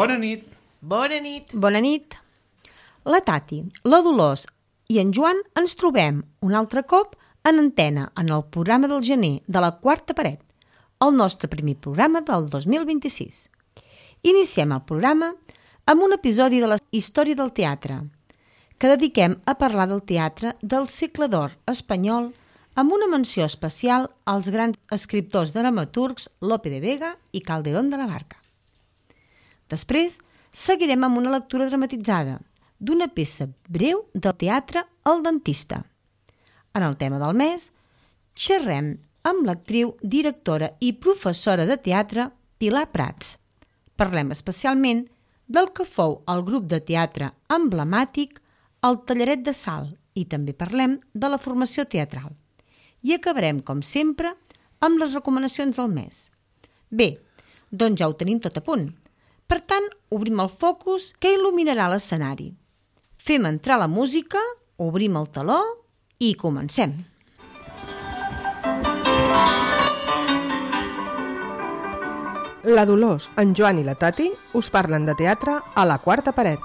Bona nit. Bona nit. Bona nit. La Tati, la Dolors i en Joan ens trobem un altre cop en antena en el programa del gener de la Quarta Paret, el nostre primer programa del 2026. Iniciem el programa amb un episodi de la història del teatre, que dediquem a parlar del teatre del segle d'or espanyol amb una menció especial als grans escriptors dramaturgs Lope de Vega i Calderón de la Barca. Després, seguirem amb una lectura dramatitzada d'una peça breu del teatre El Dentista. En el tema del mes, xerrem amb l'actriu, directora i professora de teatre Pilar Prats. Parlem especialment del que fou el grup de teatre emblemàtic El Tallaret de Salt i també parlem de la formació teatral. I acabarem, com sempre, amb les recomanacions del mes. Bé, doncs ja ho tenim tot a punt. Per tant, obrim el focus que il·luminarà l'escenari. Fem entrar la música, obrim el teló i comencem. La Dolors, en Joan i la Tati us parlen de teatre a la Quarta Paret.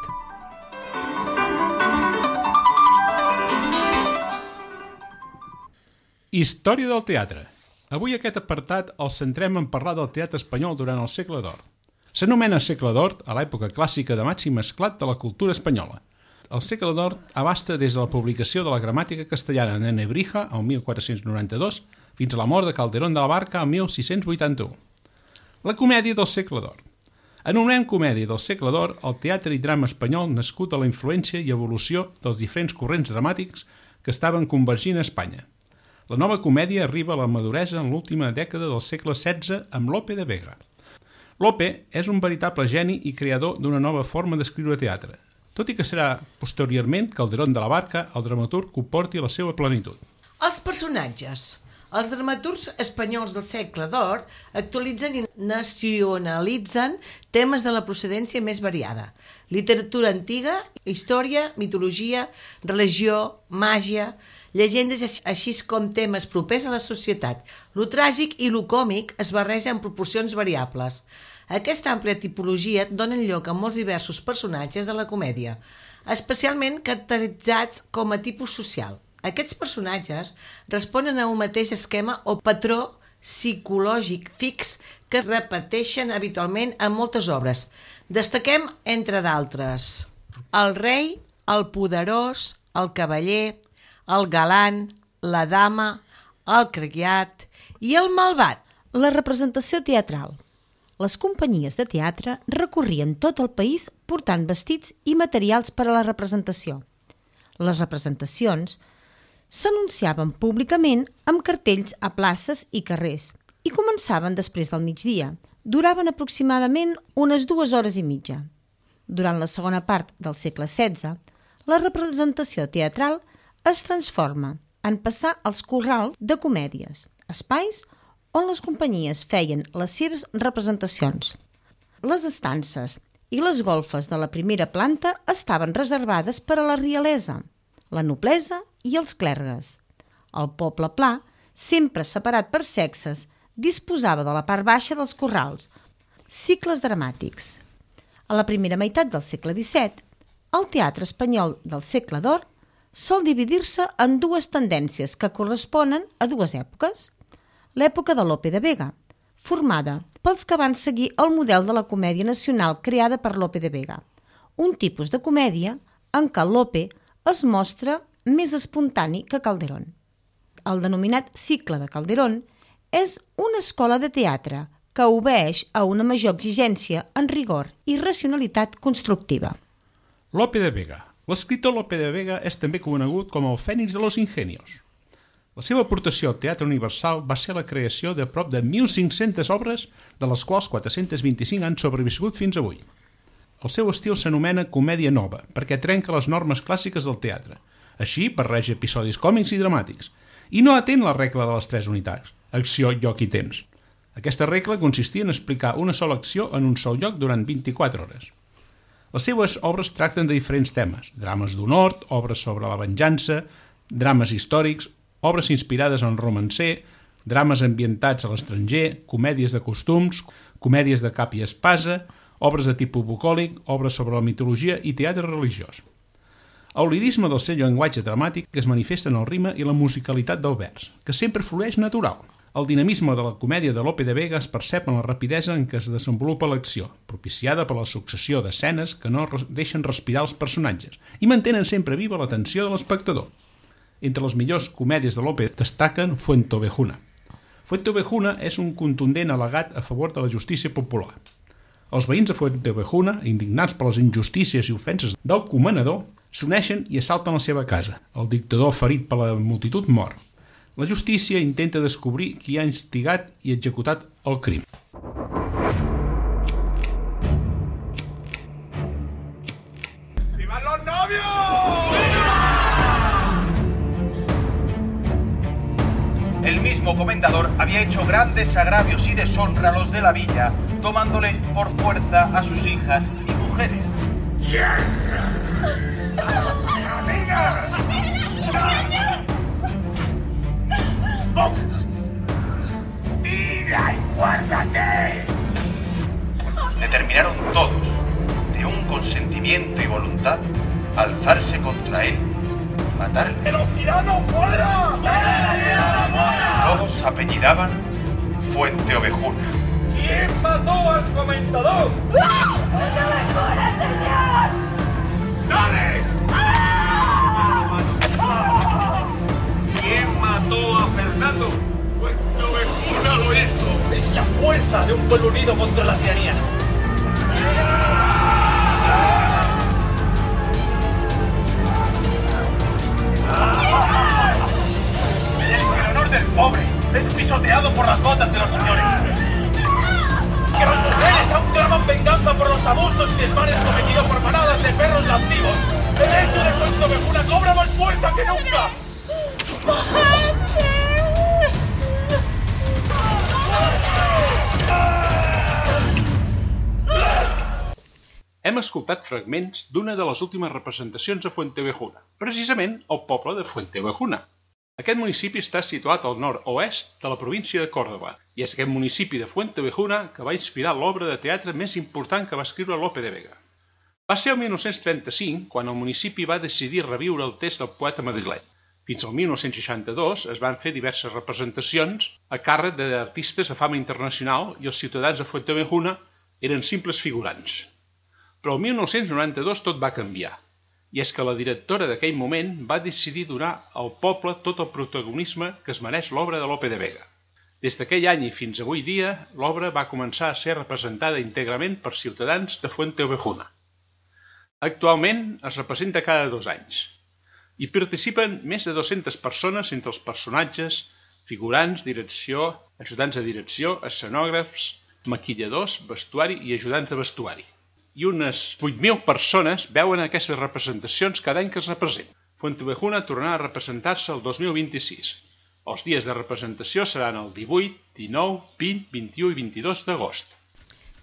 Història del teatre. Avui aquest apartat el centrem en parlar del teatre espanyol durant el segle d'or. S'anomena segle d'or a l'època clàssica de màxim esclat de la cultura espanyola. El segle d'or abasta des de la publicació de la gramàtica castellana de Nebrija el 1492 fins a la mort de Calderón de la Barca el 1681. La comèdia del segle d'or. Anomenem comèdia del segle d'or el teatre i drama espanyol nascut a la influència i evolució dels diferents corrents dramàtics que estaven convergint a Espanya. La nova comèdia arriba a la maduresa en l'última dècada del segle XVI amb Lope de Vega. Lope és un veritable geni i creador d'una nova forma d'escriure teatre, tot i que serà posteriorment Calderón de la Barca el dramaturg que ho porti a la seva plenitud. Els personatges. Els dramaturgs espanyols del segle d'or actualitzen i nacionalitzen temes de la procedència més variada. Literatura antiga, història, mitologia, religió, màgia, llegendes així com temes propers a la societat. Lo tràgic i lo còmic es barreja en proporcions variables. Aquesta àmplia tipologia dona lloc a molts diversos personatges de la comèdia, especialment caracteritzats com a tipus social. Aquests personatges responen a un mateix esquema o patró psicològic fix que es repeteixen habitualment en moltes obres. Destaquem, entre d'altres, el rei, el poderós, el cavaller, el galant, la dama, el criat i el malvat. La representació teatral. Les companyies de teatre recorrien tot el país portant vestits i materials per a la representació. Les representacions s'anunciaven públicament amb cartells a places i carrers i començaven després del migdia. Duraven aproximadament unes 2 hores i mitja. Durant la segona part del segle XVI, la representació teatral es transforma en passar als corrals de comèdies, espais on les companyies feien les seves representacions. Les estances i les golfes de la primera planta estaven reservades per a la realesa, la noblesa i els clergues. El poble pla, sempre separat per sexes, disposava de la part baixa dels corrals. Cicles dramàtics. A la primera meitat del segle XVII, el teatre espanyol del segle d'or sol dividir-se en 2 tendències que corresponen a 2 èpoques. L'època de Lope de Vega, formada pels que van seguir el model de la comèdia nacional creada per Lope de Vega, un tipus de comèdia en què Lope es mostra més espontani que Calderón. El denominat cicle de Calderón és una escola de teatre que obeeix a una major exigència en rigor i racionalitat constructiva. Lope de Vega. L'escriptor Lope de Vega és també conegut com el Fènix de los Ingenios. La seva aportació al teatre universal va ser la creació de prop de 1.500 obres, de les quals 425 han sobreviscut fins avui. El seu estil s'anomena comèdia nova, perquè trenca les normes clàssiques del teatre. Així, barreja episodis còmics i dramàtics, i no atén la regla de les 3 unitats, acció, lloc i temps. Aquesta regla consistia en explicar una sola acció en un sol lloc durant 24 hores. Les seves obres tracten de diferents temes, drames d'honor, obres sobre la venjança, drames històrics, obres inspirades en romancer, drames ambientats a l'estranger, comèdies de costums, comèdies de cap i espasa, obres de tipus bucòlic, obres sobre la mitologia i teatre religiós. El lirisme del seu llenguatge dramàtic es manifesta en el ritme i la musicalitat del vers, que sempre flueix natural. El dinamisme de la comèdia de Lope de Vega es percep en la rapidesa en què es desenvolupa l'acció, propiciada per la successió d'escenes que no deixen respirar els personatges i mantenen sempre viva l'atenció de l'espectador. Entre les millors comèdies de Lope destaquen Fuenteovejuna. Fuenteovejuna és un contundent al·legat a favor de la justícia popular. Els veïns de Fuenteovejuna, indignats per les injustícies i ofenses del comanador, s'uneixen i assalten la seva casa. El dictador, ferit per la multitud, mor. La justícia intenta descobrir qui ha instigat i executat el crim. ¡Vivan los novios! El mismo comendador había hecho grandes agravios y deshonra a los de la villa, tomándoles por fuerza a sus hijas y mujeres. ¡Tierra! ¡Amiga! ¡Pum! ¡Tira y guárdate! Determinaron todos, de un consentimiento y voluntad, alzarse contra él y matarle. ¡Que los tiranos mueran! Todos apellidaban Fuenteovejuna. ¿Quién mató al comendador? ¡Fuenteovejuna, señor! ¡Dale! ¿Quién mató a Fernando? Fuenteovejuna lo hizo. Es la fuerza de un pueblo unido contra la tiranía. Que el honor del pobre es pisoteado por las botas de los señores. Que las mujeres aún claman venganza por los abusos y desmanes cometidos por manadas de perros lascivos. El hecho de Fuenteovejuna cobra más fuerza que nunca. Hem escoltat fragments d'una de les últimes representacions a Fuenteovejuna, precisament al poble de Fuenteovejuna. Aquest municipi està situat al nord-oest de la província de Còrdova, i és aquest municipi de Fuenteovejuna que va inspirar l'obra de teatre més important que va escriure Lope de Vega. Va ser el 1935 quan el municipi va decidir reviure el text del poeta madrileny. Fins al 1962 es van fer diverses representacions a càrrec d'artistes de fama internacional i els ciutadans de Fuenteovejuna eren simples figurants. Però el 1992 tot va canviar, i és que la directora d'aquell moment va decidir donar al poble tot el protagonisme que es mereix l'obra de Lope de Vega. Des d'aquell any i fins avui dia, l'obra va començar a ser representada íntegrament per ciutadans de Fuenteovejuna. Actualment es representa cada 2 anys. Hi participen més de 200 persones entre els personatges, figurants, direcció, ajudants de direcció, escenògrafs, maquilladors, vestuari i ajudants de vestuari. I unes 8.000 persones veuen aquestes representacions cada any que es representen. Fuenteovejuna tornarà a representar-se el 2026. Els dies de representació seran el 18, 19, 20, 21 i 22 d'agost.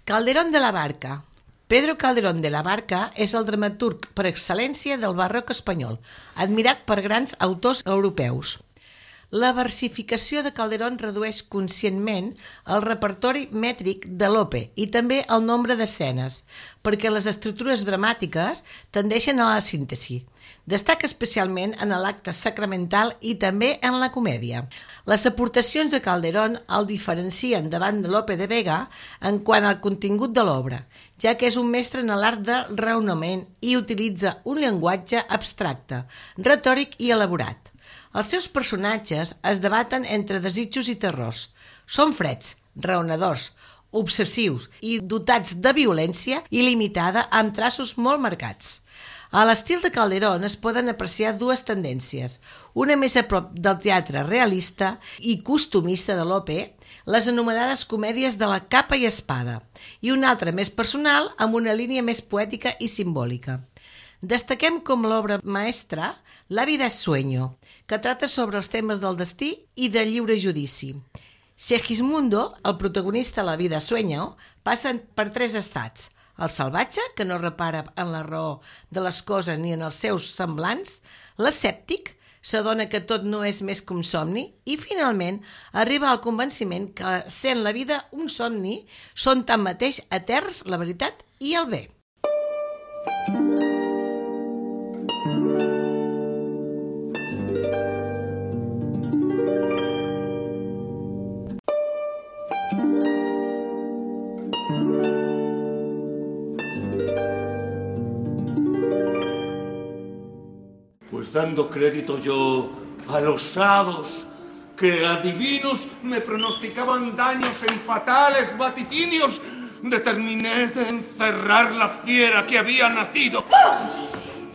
Calderón de la Barca. Pedro Calderón de la Barca és el dramaturg per excel·lència del barroc espanyol, admirat per grans autors europeus. La versificació de Calderón redueix conscientment el repertori mètric de Lope i també el nombre d'escenes, perquè les estructures dramàtiques tendeixen a la síntesi. Destaca especialment en l'acte sacramental i també en la comèdia. Les aportacions de Calderón el diferencien davant de Lope de Vega en quant al contingut de l'obra, ja que és un mestre en l'art del raonament i utilitza un llenguatge abstracte, retòric i elaborat. Els seus personatges es debaten entre desitjos i terrors. Són freds, raonadors, obsessius i dotats de violència il·limitada amb traços molt marcats. A l'estil de Calderón es poden apreciar 2 tendències, una més a prop del teatre realista i costumista de Lope, les anomenades comèdies de la capa i espada, i una altra més personal amb una línia més poètica i simbòlica. Destaquem com l'obra maestra La vida es sueño, que trata sobre els temes del destí i del lliure judici. Segismundo, el protagonista de La vida es sueño, passa per 3 estats: el salvatge, que no repara en la raó de les coses ni en els seus semblants; l'escèptic, s'adona que tot no és més que un somni i finalment arriba al convenciment que sent la vida un somni són tanmateix eterns la veritat i el bé. Pues dando crédito yo a los hados que adivinos me pronosticaban daños en fatales vaticinios, determiné de encerrar la fiera que había nacido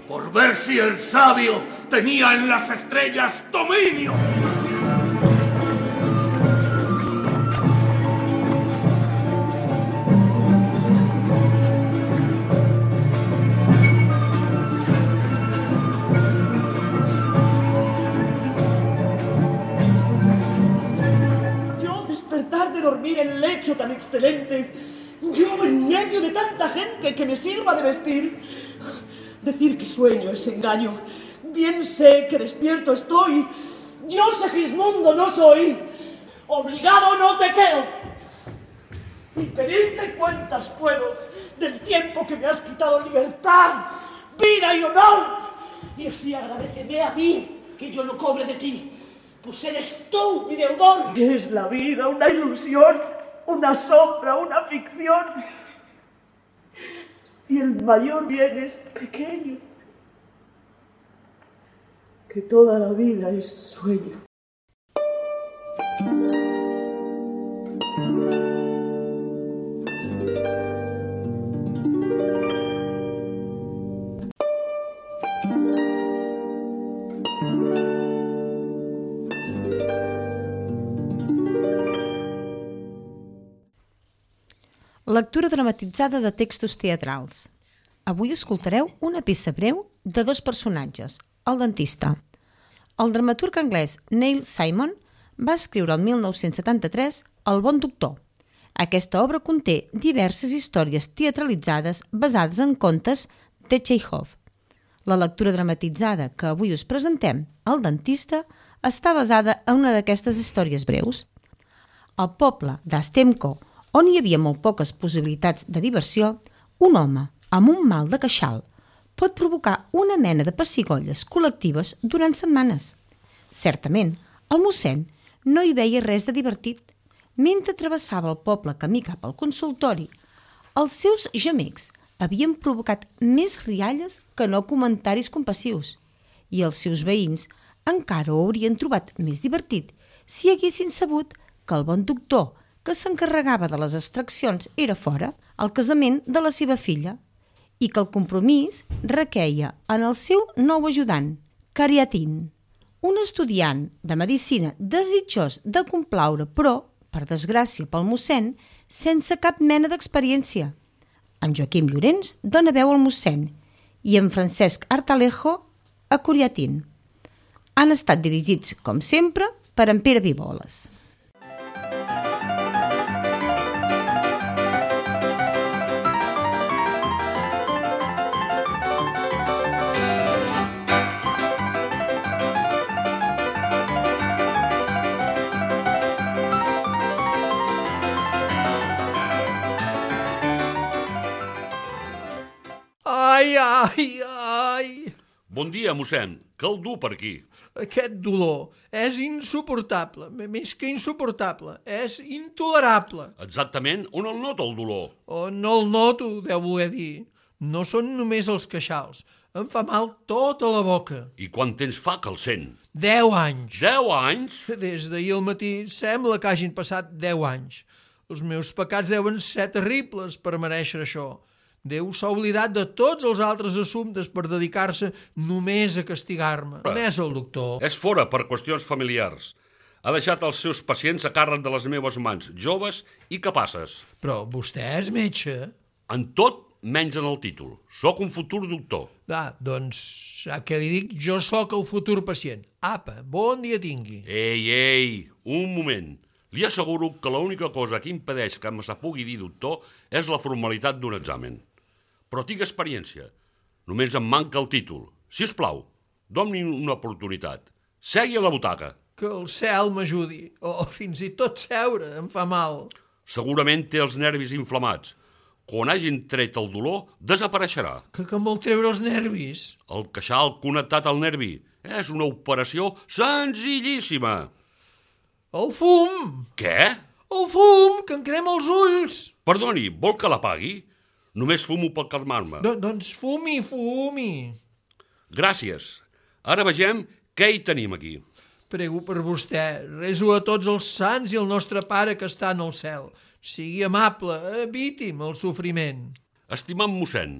por ver si el sabio tenía en las estrellas dominio. Dormir en lecho tan excelente, yo en medio de tanta gente que me sirva de vestir. Decir que sueño es engaño. Bien sé que despierto estoy. Yo, Segismundo, no soy. Obligado no te quedo. Y pedirte cuentas puedo del tiempo que me has quitado libertad, vida y honor. Y así agradeceme a mí que yo lo cobre de ti. Pues eres tú mi deudor. ¿Es la vida una ilusión, una sombra, una ficción? Y el mayor bien es pequeño, que toda la vida es sueño. Lectura dramatitzada de textos teatrals. Avui escoltareu una peça breu de dos personatges, el dentista. El dramaturg anglès Neil Simon va escriure el 1973 El bon doctor. Aquesta obra conté diverses històries teatralitzades basades en contes de Chekhov. La lectura dramatitzada que avui us presentem, El dentista, està basada en una d'aquestes històries breus. Al poble d'Astemko, on hi havia molt poques possibilitats de diversió, un home amb un mal de queixal pot provocar una mena de pessigolles col·lectives durant setmanes. Certament, el mossèn no hi veia res de divertit. Mentre travessava el poble camí cap al consultori, els seus gemecs havien provocat més rialles que no comentaris compassius, i els seus veïns encara ho haurien trobat més divertit si haguessin sabut que el bon doctor que s'encarregava de les extraccions era fora, al casament de la seva filla, i que el compromís requeia en el seu nou ajudant, Cariatin, un estudiant de medicina desitjós de complaure, però, per desgràcia pel mossèn, sense cap mena d'experiència. En Joaquim Llorenç dona veu al mossèn i en Francesc Artalejo a Cariatin. Han estat dirigits, com sempre, per en Pere Viboles. Ai! Bon dia, mossèn. Què el du per aquí? Aquest dolor és insuportable. Més que insuportable, és intolerable. Exactament, on el nota el dolor? No el noto, deu voler dir. No són només els queixals. Em fa mal tota la boca. I quant temps fa que el sent? 10 anys. 10 anys? Des d'ahir al matí sembla que hagin passat 10 anys. Els meus pecats deuen ser terribles per mereixer això. Déu s'ha oblidat de tots els altres assumptes per dedicar-se només a castigar-me. On és el doctor? És fora per qüestions familiars. Ha deixat els seus pacients a càrrec de les meves mans, joves i capaces. Però vostè és metge? En tot menys en el títol. Soc un futur doctor. Doncs, sap què li dic? Jo sóc el futur pacient. Apa, bon dia tingui. Ei, un moment. Li asseguro que l'única cosa que impedeix que me se pugui dir doctor és la formalitat d'un examen. Però tinc experiència. Només em manca el títol. Si us plau, doni-me una oportunitat. Segui a la butaca. Que el cel m'ajudi. O fins i tot seure em fa mal. Segurament té els nervis inflamats. Quan hagin tret el dolor, desapareixerà. Que em vol treure els nervis? El queixal connectat al nervi. És una operació senzillíssima. El fum! Què? El fum, que em crema els ulls. Perdoni, vol que l'apagui? Només fumo per calmar-me. Doncs fumi. Gràcies. Ara vegem què hi tenim aquí. Prego per vostè. Reso a tots els sants i el nostre pare que està en el cel. Sigui amable, eviti'm el sofriment. Estimat mossèn,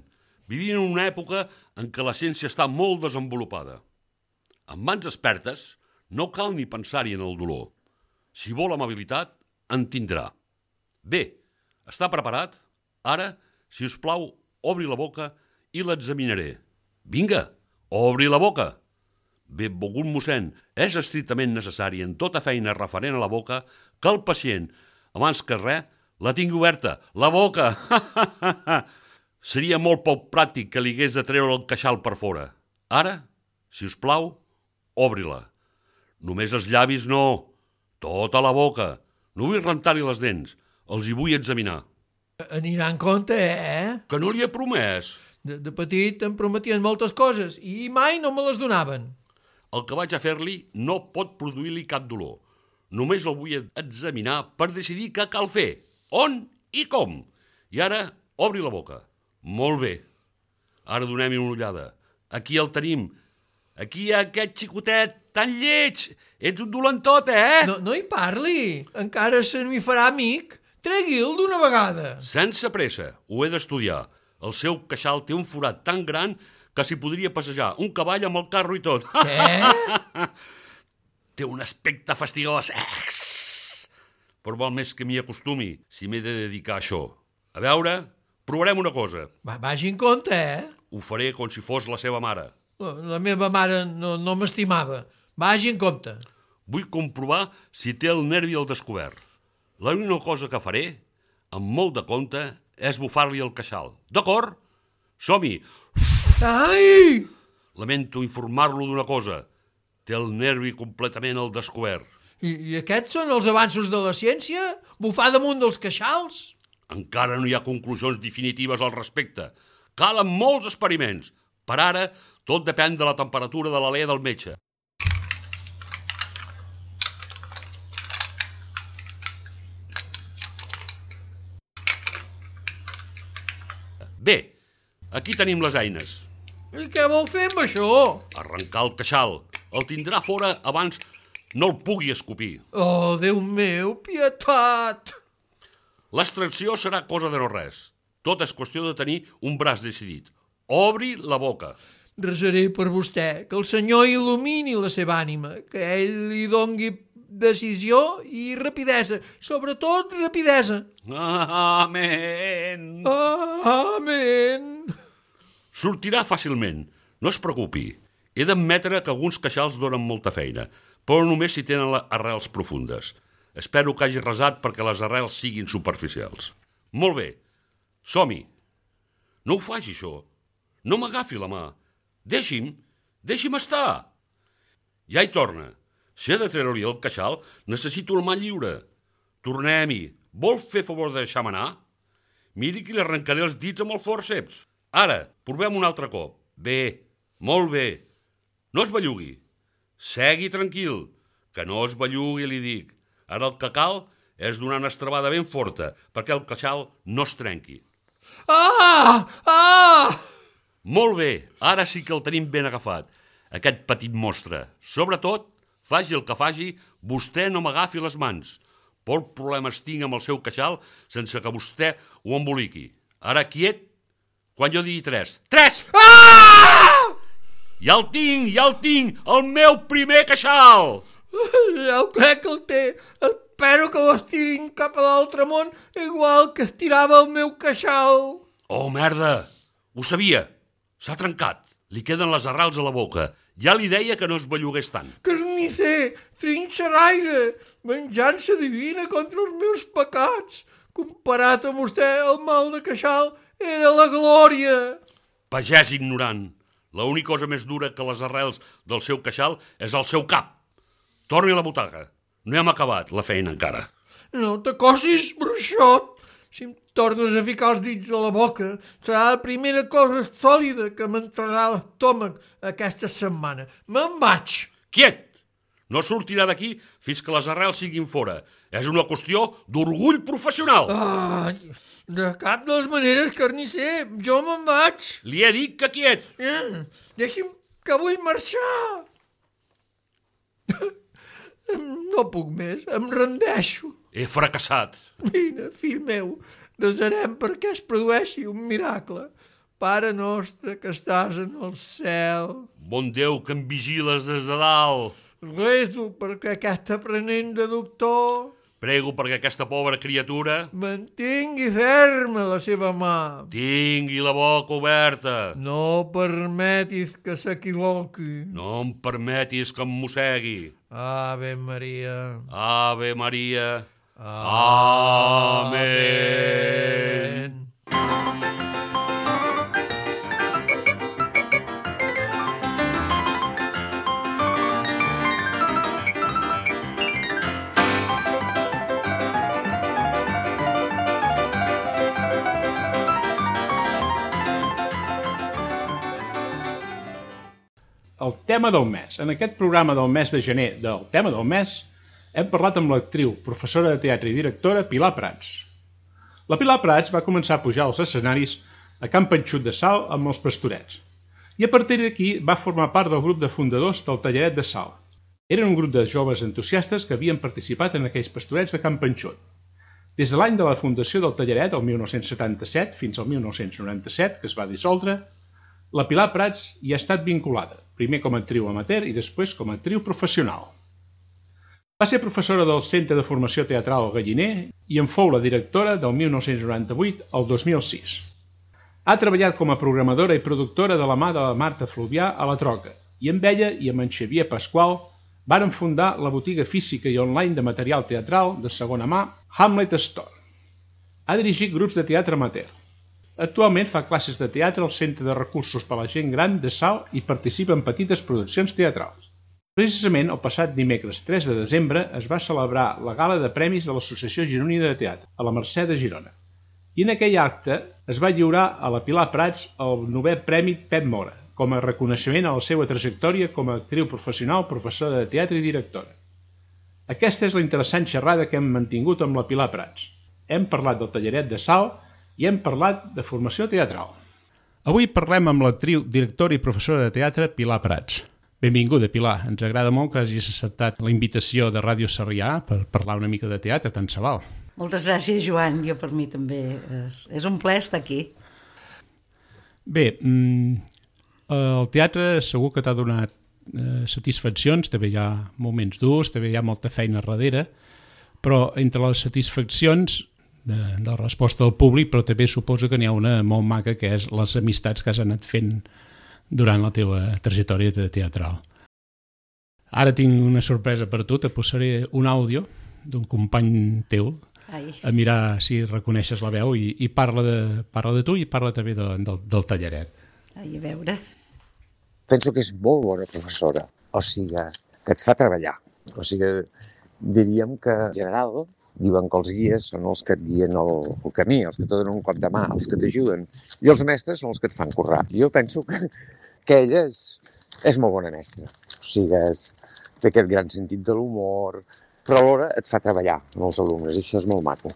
vivim en una època en què la ciència està molt desenvolupada. Amb mans expertes no cal ni pensar-hi en el dolor. Si vol amabilitat, en tindrà. Bé, està preparat? Ara, si us plau, obri la boca i l'examinaré. Vinga, obri la boca. Benvolgut mossèn, és estrictament necessari en tota feina referent a la boca que el pacient, abans que res, la tingui oberta. La boca! Seria molt poc pràctic que li hagués de treure el queixal per fora. Ara, si us plau, obri-la. Només els llavis no, tota la boca. No vull rentar-hi les dents, els hi vull examinar. Anirà en compte, Que no li he promès. De petit em prometien moltes coses i mai no me les donaven. El que vaig a fer-li no pot produir-li cap dolor. Només el vull examinar per decidir què cal fer, on i com. I ara, obri la boca. Molt bé. Ara donem-hi una ullada. Aquí el tenim. Aquí hi ha aquest xicotet tan lleig. Ets un dolentot, No hi parli. Encara se m'hi farà amic. Tregui'l d'una vegada. Sense pressa. Ho he d'estudiar. El seu queixal té un forat tan gran que s'hi podria passejar un cavall amb el carro i tot. Què? Té un aspecte fastigós. Però val més que m'hi acostumi si m'he de dedicar a això. A veure, provarem una cosa. Vagi en compte, Ho faré com si fos la seva mare. La meva mare no m'estimava. Vagi en compte. Vull comprovar si té el nervi al descobert. L'única cosa que faré, amb molt de compte, és bufar-li el queixal. D'acord? Som-hi! Ai! Lamento informar-lo d'una cosa. Té el nervi completament al descobert. I aquests són els avanços de la ciència? Bufar damunt dels queixals? Encara no hi ha conclusions definitives al respecte. Calen molts experiments. Per ara, tot depèn de la temperatura de l'alè del metge. Bé, aquí tenim les eines. I què vol fer amb això? Arrencar el queixal. El tindrà fora abans no el pugui escopir. Oh, Déu meu, pietat! L'extracció serà cosa de no res. Tot és qüestió de tenir un braç decidit. Obri la boca. Resaré per vostè, que el Senyor il·lumini la seva ànima, que ell li dongui decisió i rapidesa, sobretot rapidesa. Amén. Amén. Sortirà fàcilment, no es preocupi. He d'admetre que alguns queixals donen molta feina, però només si tenen arrels profundes. Espero que hagi resat perquè les arrels siguin superficials. Molt bé, som-hi. No ho faci, això. No m'agafi la mà. Deixi'm estar. Ja hi torna. Si he de treure-li el queixal, necessito el mà lliure. Tornem-hi. Vol fer favor de deixar-me anar? Miri que li arrencaré els dits amb el fòrceps. Ara, provem un altre cop. Bé, molt bé. No es bellugui. Segui tranquil, que no es bellugui, li dic. Ara el que cal és donar una estrabada ben forta perquè el queixal no es trenqui. Molt bé, ara sí que el tenim ben agafat, aquest petit monstre. Sobretot, faci el que faci, vostè no m'agafi les mans. Poc problemes tinc amb el seu queixal sense que vostè ho emboliqui. Ara quiet, quan jo digui 3. 3! Ja el tinc, el meu primer queixal! Ja ho crec que el té. Espero que l'estirin cap a l'altre món, igual que estirava el meu queixal. Oh, merda! Ho sabia! S'ha trencat. Li queden les arrels a la boca. Ja li deia que no es bellugués tant. Carnisser, trinxeraire, venjança divina contra els meus pecats. Comparat amb vostè, el mal de queixal era la glòria. Pagès ignorant. L'única cosa més dura que les arrels del seu queixal és el seu cap. Torni a la butaca. No hem acabat la feina encara. No t'acosis, bruixot. Si em tornes a ficar els dits a la boca, serà la primera cosa sòlida que m'entrarà a l'estómac aquesta setmana. Me'n vaig. Quiet! No sortirà d'aquí fins que les arrels siguin fora. És una qüestió d'orgull professional. Ai, de cap de les maneres, carnisser. Jo me'n vaig. Li he dit que quiet. Deixi'm que vull marxar. No puc més, em rendeixo. He fracassat. Vine, fill meu, resarem perquè es produeixi un miracle. Pare nostre que estàs en el cel. Bon Déu, que em vigiles des de dalt. Rezo perquè aquest aprenent de doctor Prego perquè aquesta pobra criatura mantingui ferma la seva mà. tingui la boca oberta. No permetis que s'equivoqui. No em permetis que em mossegui. Ave Maria. Ave Maria. Amén. El tema del mes. En aquest programa del mes de gener del tema del mes hem parlat amb l'actriu, professora de teatre i directora Pilar Prats. La Pilar Prats va començar a pujar als escenaris a Can Panxut de Salt amb els Pastorets i a partir d'aquí va formar part del grup de fundadors del Tallaret de Salt. Eren un grup de joves entusiastes que havien participat en aquells Pastorets de Can Panxut. Des de l'any de la fundació del Tallaret, el 1977, fins al 1997, que es va dissoldre, la Pilar Prats hi ha estat vinculada, primer com a actriu amateur i després com a actriu professional. Va ser professora del Centre de Formació Teatral El Galliner i en fou la directora del 1998 al 2006. Ha treballat com a programadora i productora de la mà de la Marta Fluvià a la Troca i amb ella i amb en Xavier Pasqual varen fundar la botiga física i online de material teatral de segona mà Hamlet Store. Ha dirigit grups de teatre amateur. Actualment fa classes de teatre al Centre de Recursos per a la Gent Gran de Salt i participa en petites produccions teatrals. Precisament el passat dimecres 3 de desembre es va celebrar la gala de premis de l'Associació Gironina de Teatre, a la Mercè de Girona. I en aquell acte es va lliurar a la Pilar Prats el 9è Premi Pep Mora, com a reconeixement a la seva trajectòria com a actriu professional, professora de teatre i directora. Aquesta és la interessant xerrada que hem mantingut amb la Pilar Prats. Hem parlat del Tallaret de Salt i hem parlat de formació teatral. Avui parlem amb l'actriu, directora i professora de teatre Pilar Prats. Benvinguda, Pilar. Ens agrada molt que hagis acceptat la invitació de Ràdio Sarrià per parlar una mica de teatre, tant se val. Moltes gràcies, Joan. Jo per mi també és un plaer estar aquí. Bé, el teatre segur que t'ha donat satisfaccions, també hi ha moments durs, també hi ha molta feina darrere, però entre les satisfaccions de la resposta del públic, però també suposo que n'hi ha una molt maca, que és les amistats que has anat fent durant la teva trajectòria teatral. Ara tinc una sorpresa per tu, te posaré un àudio d'un company teu, a mirar si reconeixes la veu, i parla de tu i parla també del Tallaret. Ai, a veure. Penso que és molt bona professora, o sigui, que et fa treballar. O sigui, diríem que en general diuen que els guies són els que et guien el camí, els que te donen un cop de mà, els que t'ajuden, i els mestres són els que et fan currar. Jo penso que ella és molt bona mestra, o sigui, té aquest gran sentit de l'humor, però alhora et fa treballar amb els alumnes, i això és molt maco.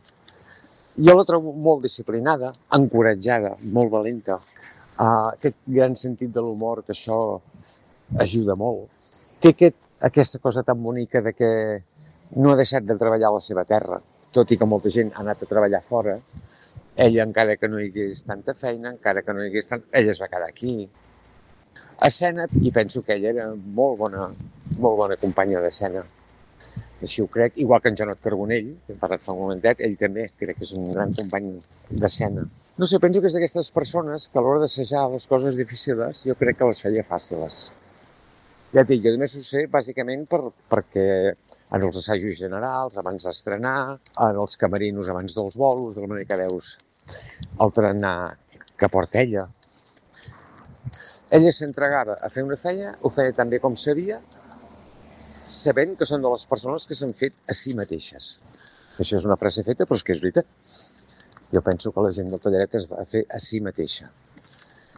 Jo la trobo molt disciplinada, encoratjada, molt valenta, aquest gran sentit de l'humor, que això ajuda molt. Té aquesta cosa tan bonica de que no ha deixat de treballar a la seva terra, tot i que molta gent ha anat a treballar fora. Ella, encara que no hi hagués tanta feina, encara que no hi hagués ella es va quedar aquí. A escena, i penso que ella era molt bona companya d'escena. Així ho crec, igual que en Jonat Carbonell, que hem parlat fa un momentet, ell també crec que és un gran company d'escena. No sé, penso que és d'aquestes persones que a l'hora d'assajar les coses difícils jo crec que les feia fàcils. Ja et dic, jo només ho sé bàsicament perquè en els assajos generals, abans d'estrenar, en els camerinos abans dels bolos, de la manera que veus el tarannà que porta ella. Ella s'entregava a fer una feina, ho feia tan bé com sabia, sabent que són de les persones que s'han fet a si mateixes. Això és una frase feta, però és que és veritat. Jo penso que la gent del Talleret es va fer a si mateixa.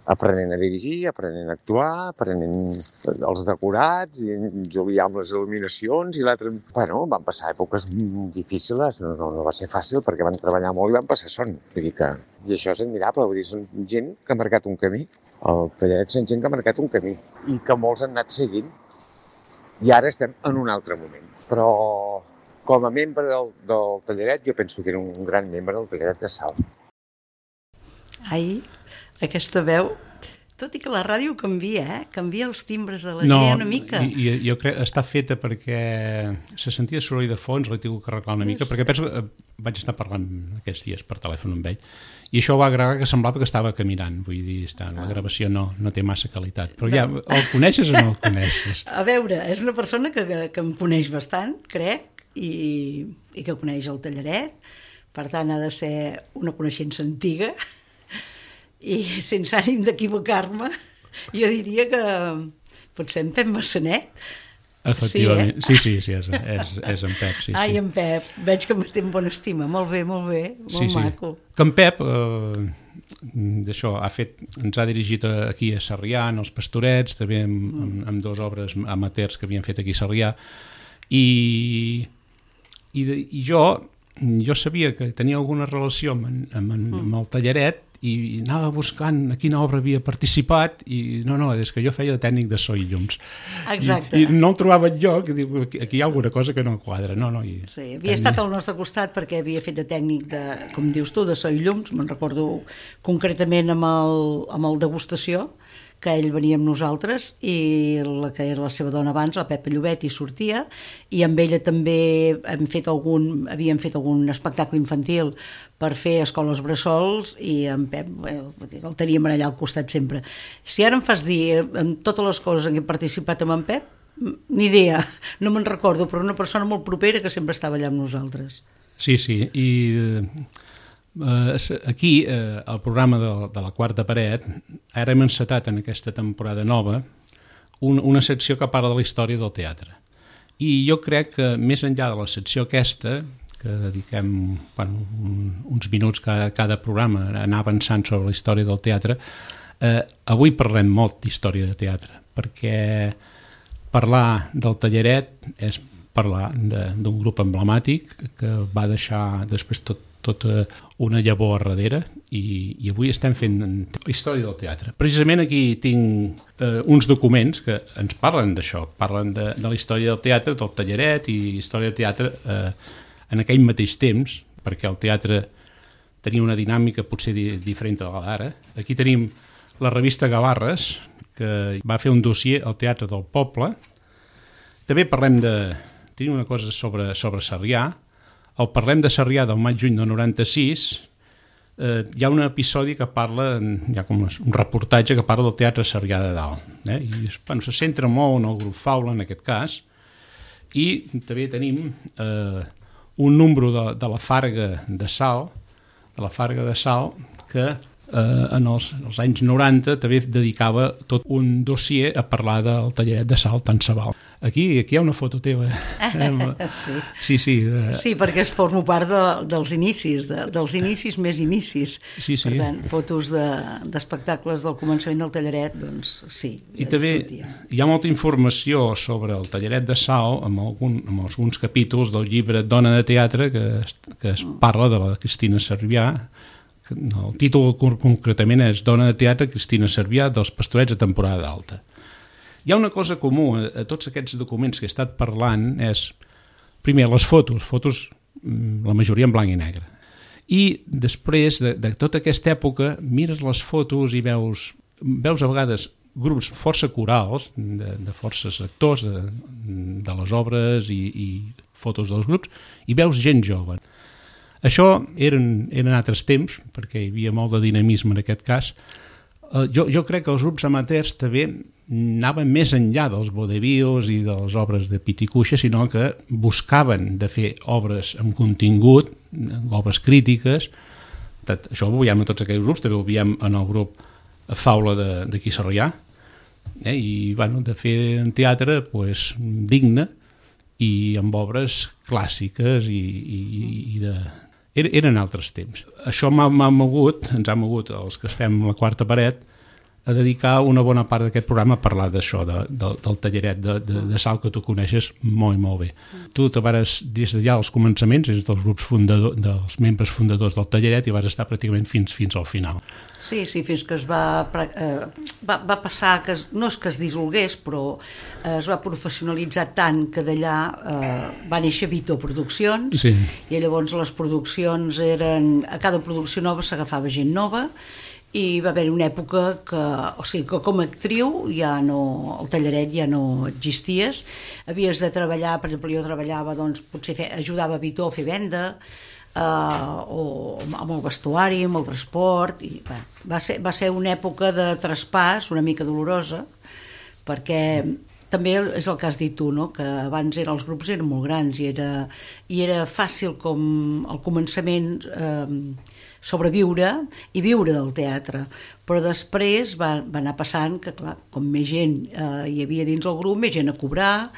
Aprenent a dirigir, aprenent a actuar, aprenent els decorats, i en Julià amb les il·luminacions, i l'altre... Bueno, van passar èpoques difícils, no va ser fàcil, perquè van treballar molt i van passar son. Vull dir que... I això és admirable, vull dir, són gent que ha marcat un camí. El Talleret són gent que ha marcat un camí, i que molts han anat seguint. I ara estem en un altre moment. Però com a membre del Talleret, jo penso que era un gran membre del Talleret de Salt. Ai, aquesta veu, tot i que la ràdio canvia, canvia els timbres de la gent una mica. Jo crec que està feta perquè se sentia soroll de fons, l'he tingut que arreglar una mica, perquè penso que vaig estar parlant aquests dies per telèfon amb ell, i això va agregar que semblava que estava caminant, vull dir, la gravació no té massa qualitat, però ja, el coneixes o no el coneixes? A veure, és una persona que em coneix bastant, crec, i que coneix el Talleret, per tant ha de ser una coneixença antiga, i sense ànim d'equivocar-me, jo diria que potser en Pep Massanet. Efectivament, sí, és en Pep, sí. Ai, en Pep, veig que em té en bona estima, molt bé, molt maco. Que en Pep, d'això, ens ha dirigit aquí a Sarrià, en els Pastorets, també amb dues obres amateurs que havien fet aquí a Sarrià, i jo sabia que tenia alguna relació amb el Talleret, i anava buscant a quina obra havia participat i no, és que jo feia de tècnic de so i llums. Exacte. I no el trobava enlloc, i dic, aquí hi ha alguna cosa que no quadra. Sí, havia estat al nostre costat perquè havia fet de tècnic de, com dius tu, de so i llums, me'n recordo concretament amb el degustació, que ell venia amb nosaltres, i la que era la seva dona abans, la Pepa Llobet, hi sortia, i amb ella també havíem fet algun espectacle infantil per fer escoles bressols, i en Pep el teníem allà al costat sempre. Si ara em fas dir amb totes les coses en què he participat amb en Pep, ni idea, no me'n recordo, però una persona molt propera que sempre estava allà amb nosaltres. Sí, i aquí, al programa de la Quarta Paret, ara hem encetat en aquesta temporada nova una secció que parla de la història del teatre. I jo crec que més enllà de la secció aquesta, que dediquem uns minuts cada programa a anar avançant sobre la història del teatre, avui parlem molt d'història de teatre, perquè parlar del Talleret és parlar d'un grup emblemàtic que va deixar després tota una llavor a darrere, i avui estem fent història del teatre. Precisament aquí tinc uns documents que ens parlen d'això, parlen de la història del teatre, del Talleret, i història del teatre en aquell mateix temps, perquè el teatre tenia una dinàmica potser diferent de l'ara. Aquí tenim la revista Gavarres, que va fer un dossier al Teatre del Poble. També tenim una cosa sobre Sarrià. El Parlem de Sarrià del maig-juny del 96, hi ha un episodi que parla, hi ha com un reportatge que parla del Teatre Sarrià de Dalt, i se centra molt en el grup Faula en aquest cas, i també tenim un número de la Farga de Salt, que en els anys 90 també dedicava tot un dossier a parlar del Talleret de Salt tant se val. Aquí hi ha una foto teva. Sí. Sí, perquè formo part dels inicis, dels inicis més inicis. Sí. Per tant, fotos d'espectacles del començament del Talleret, doncs sí. I també hi ha molta informació sobre el Talleret de Salt amb alguns capítols del llibre Dona de Teatre que es parla de la Cristina Cervià. El títol concretament és Dona de Teatre Cristina Cervià dels Pastorets a temporada alta. Hi ha una cosa comú a tots aquests documents que he estat parlant, és primer les fotos, la majoria en blanc i negre, i després de tota aquesta època mires les fotos i veus a vegades grups força corals de forces actors de les obres i fotos dels grups, i veus gent jove. Això eren altres temps, perquè hi havia molt de dinamisme en aquest cas. Jo crec que els grups amateurs també anaven més enllà dels vodevils i de les obres de pit i cuixa, sinó que buscaven de fer obres amb contingut, obres crítiques. Això ho veiem en tots aquells grups, també ho veiem en el grup Faula d'aquí Sarrià, I de fer un teatre digne i amb obres clàssiques i de... Eren altres temps. Això ens ha mogut, els que fem la quarta paret, a dedicar una bona part d'aquest programa a parlar d'això, del talleret de sal que tu coneixes molt bé. Tu te vares, des d'allà als començaments, des dels membres fundadors del talleret, i vas estar pràcticament fins al final. Sí, fins que es va passar, no és que es dissolgués, però es va professionalitzar tant que d'allà va néixer Vito Produccions, i llavors les produccions eren... A cada producció nova s'agafava gent nova, i va haver una època que com a actriu el talleret ja no existies, havies de treballar, per exemple jo treballava, potser ajudava a Vito a fer venda, o amb el vestuari, amb el transport, i va ser una època de traspàs una mica dolorosa, perquè també és el que has dit tu, no? Que abans els grups eren molt grans i era fàcil com al començament sobreviure i viure del teatre, però després va anar passant que, clar, com més gent hi havia dins el grup, més gent a cobrar.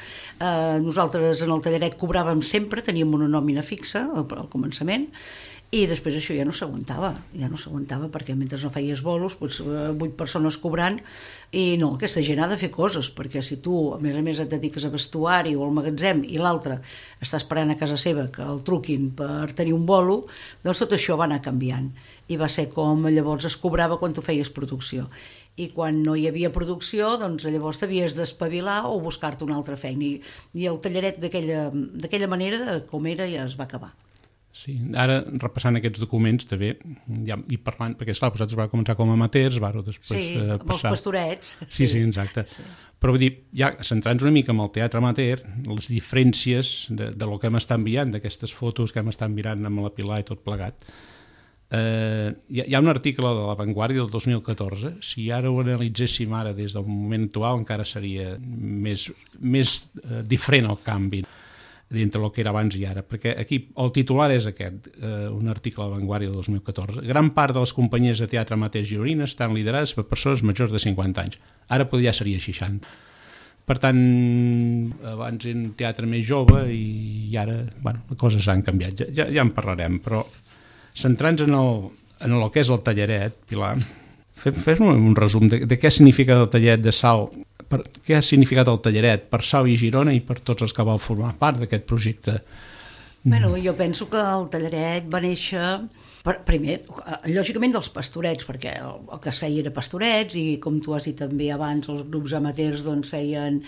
Nosaltres en el talleret cobràvem sempre, teníem una nòmina fixa al començament, i després això ja no s'aguantava perquè mentre no feies bolos, 8 persones cobrant, i no, aquesta gent ha de fer coses, perquè si tu a més et dediques a vestuari o al magatzem i l'altre està esperant a casa seva que el truquin per tenir un bolo, doncs tot això va anar canviant, i va ser com llavors es cobrava quan tu feies producció, i quan no hi havia producció doncs llavors t'havies d'espavilar o buscar-te una altra feina, i el talleret d'aquella manera com era ja es va acabar. Sí, ara repassant aquests documents també, i parlant, perquè esclar, vosaltres vau començar com a amateurs, vau després passar... amb els pastorets. Sí, exacte. Però vull dir, ja centrant-nos una mica en el teatre amateur, les diferències de lo que hem estat enviant, d'aquestes fotos que hem estat mirant amb la Pilar i tot plegat, hi ha un article de La Vanguardia del 2014, si ara ho analitzéssim ara des del moment actual encara seria més diferent el canvi d'entre el que era abans i ara, perquè aquí el titular és aquest, un article a La Vanguardia del 2014. Gran part de les companyies de teatre amateur gironines estan liderades per persones majors de 50 anys. Ara ja seria 60. Per tant, abans era un teatre més jove i ara, les coses han canviat. Ja en parlarem, però centrant-nos en el que és el talleret, Pilar, fes-me un resum de què significa el talleret de sal, què ha significat el talleret per Sau i Girona i per tots els que vau formar part d'aquest projecte? Jo penso que el talleret va néixer primer, lògicament dels pastorets, perquè el que es feia era pastorets, i com tu has dit també abans, els grups amateurs feien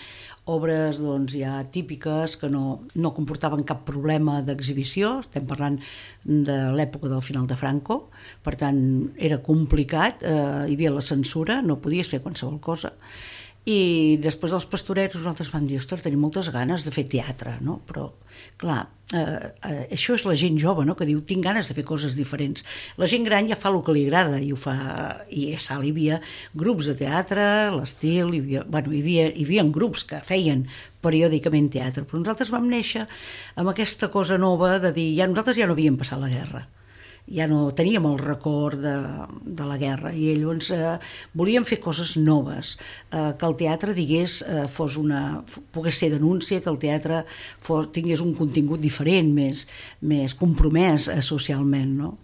obres ja típiques que no comportaven cap problema d'exhibició. Estem parlant de l'època del final de Franco, per tant era complicat, hi havia la censura, no podies fer qualsevol cosa. I després dels pastorets nosaltres vam dir, ostres, tenim moltes ganes de fer teatre, no? Però clar, això és la gent jove, no? Que diu, tinc ganes de fer coses diferents. La gent gran ja fa el que li agrada i ho fa, i a Salt hi havia grups de teatre, l'Estil, hi havia grups que feien periòdicament teatre, però nosaltres vam néixer amb aquesta cosa nova de dir, nosaltres ja no havíem passat la guerra, ja no teníem el record de la guerra, i llavors volíem fer coses noves, que el teatre pogués ser denúncia, que el teatre tingués un contingut diferent, més compromès socialment, no?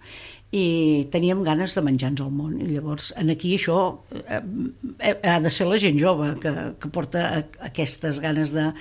I teníem ganes de menjar-nos el món, i llavors aquí això ha de ser la gent jove que porta aquestes ganes de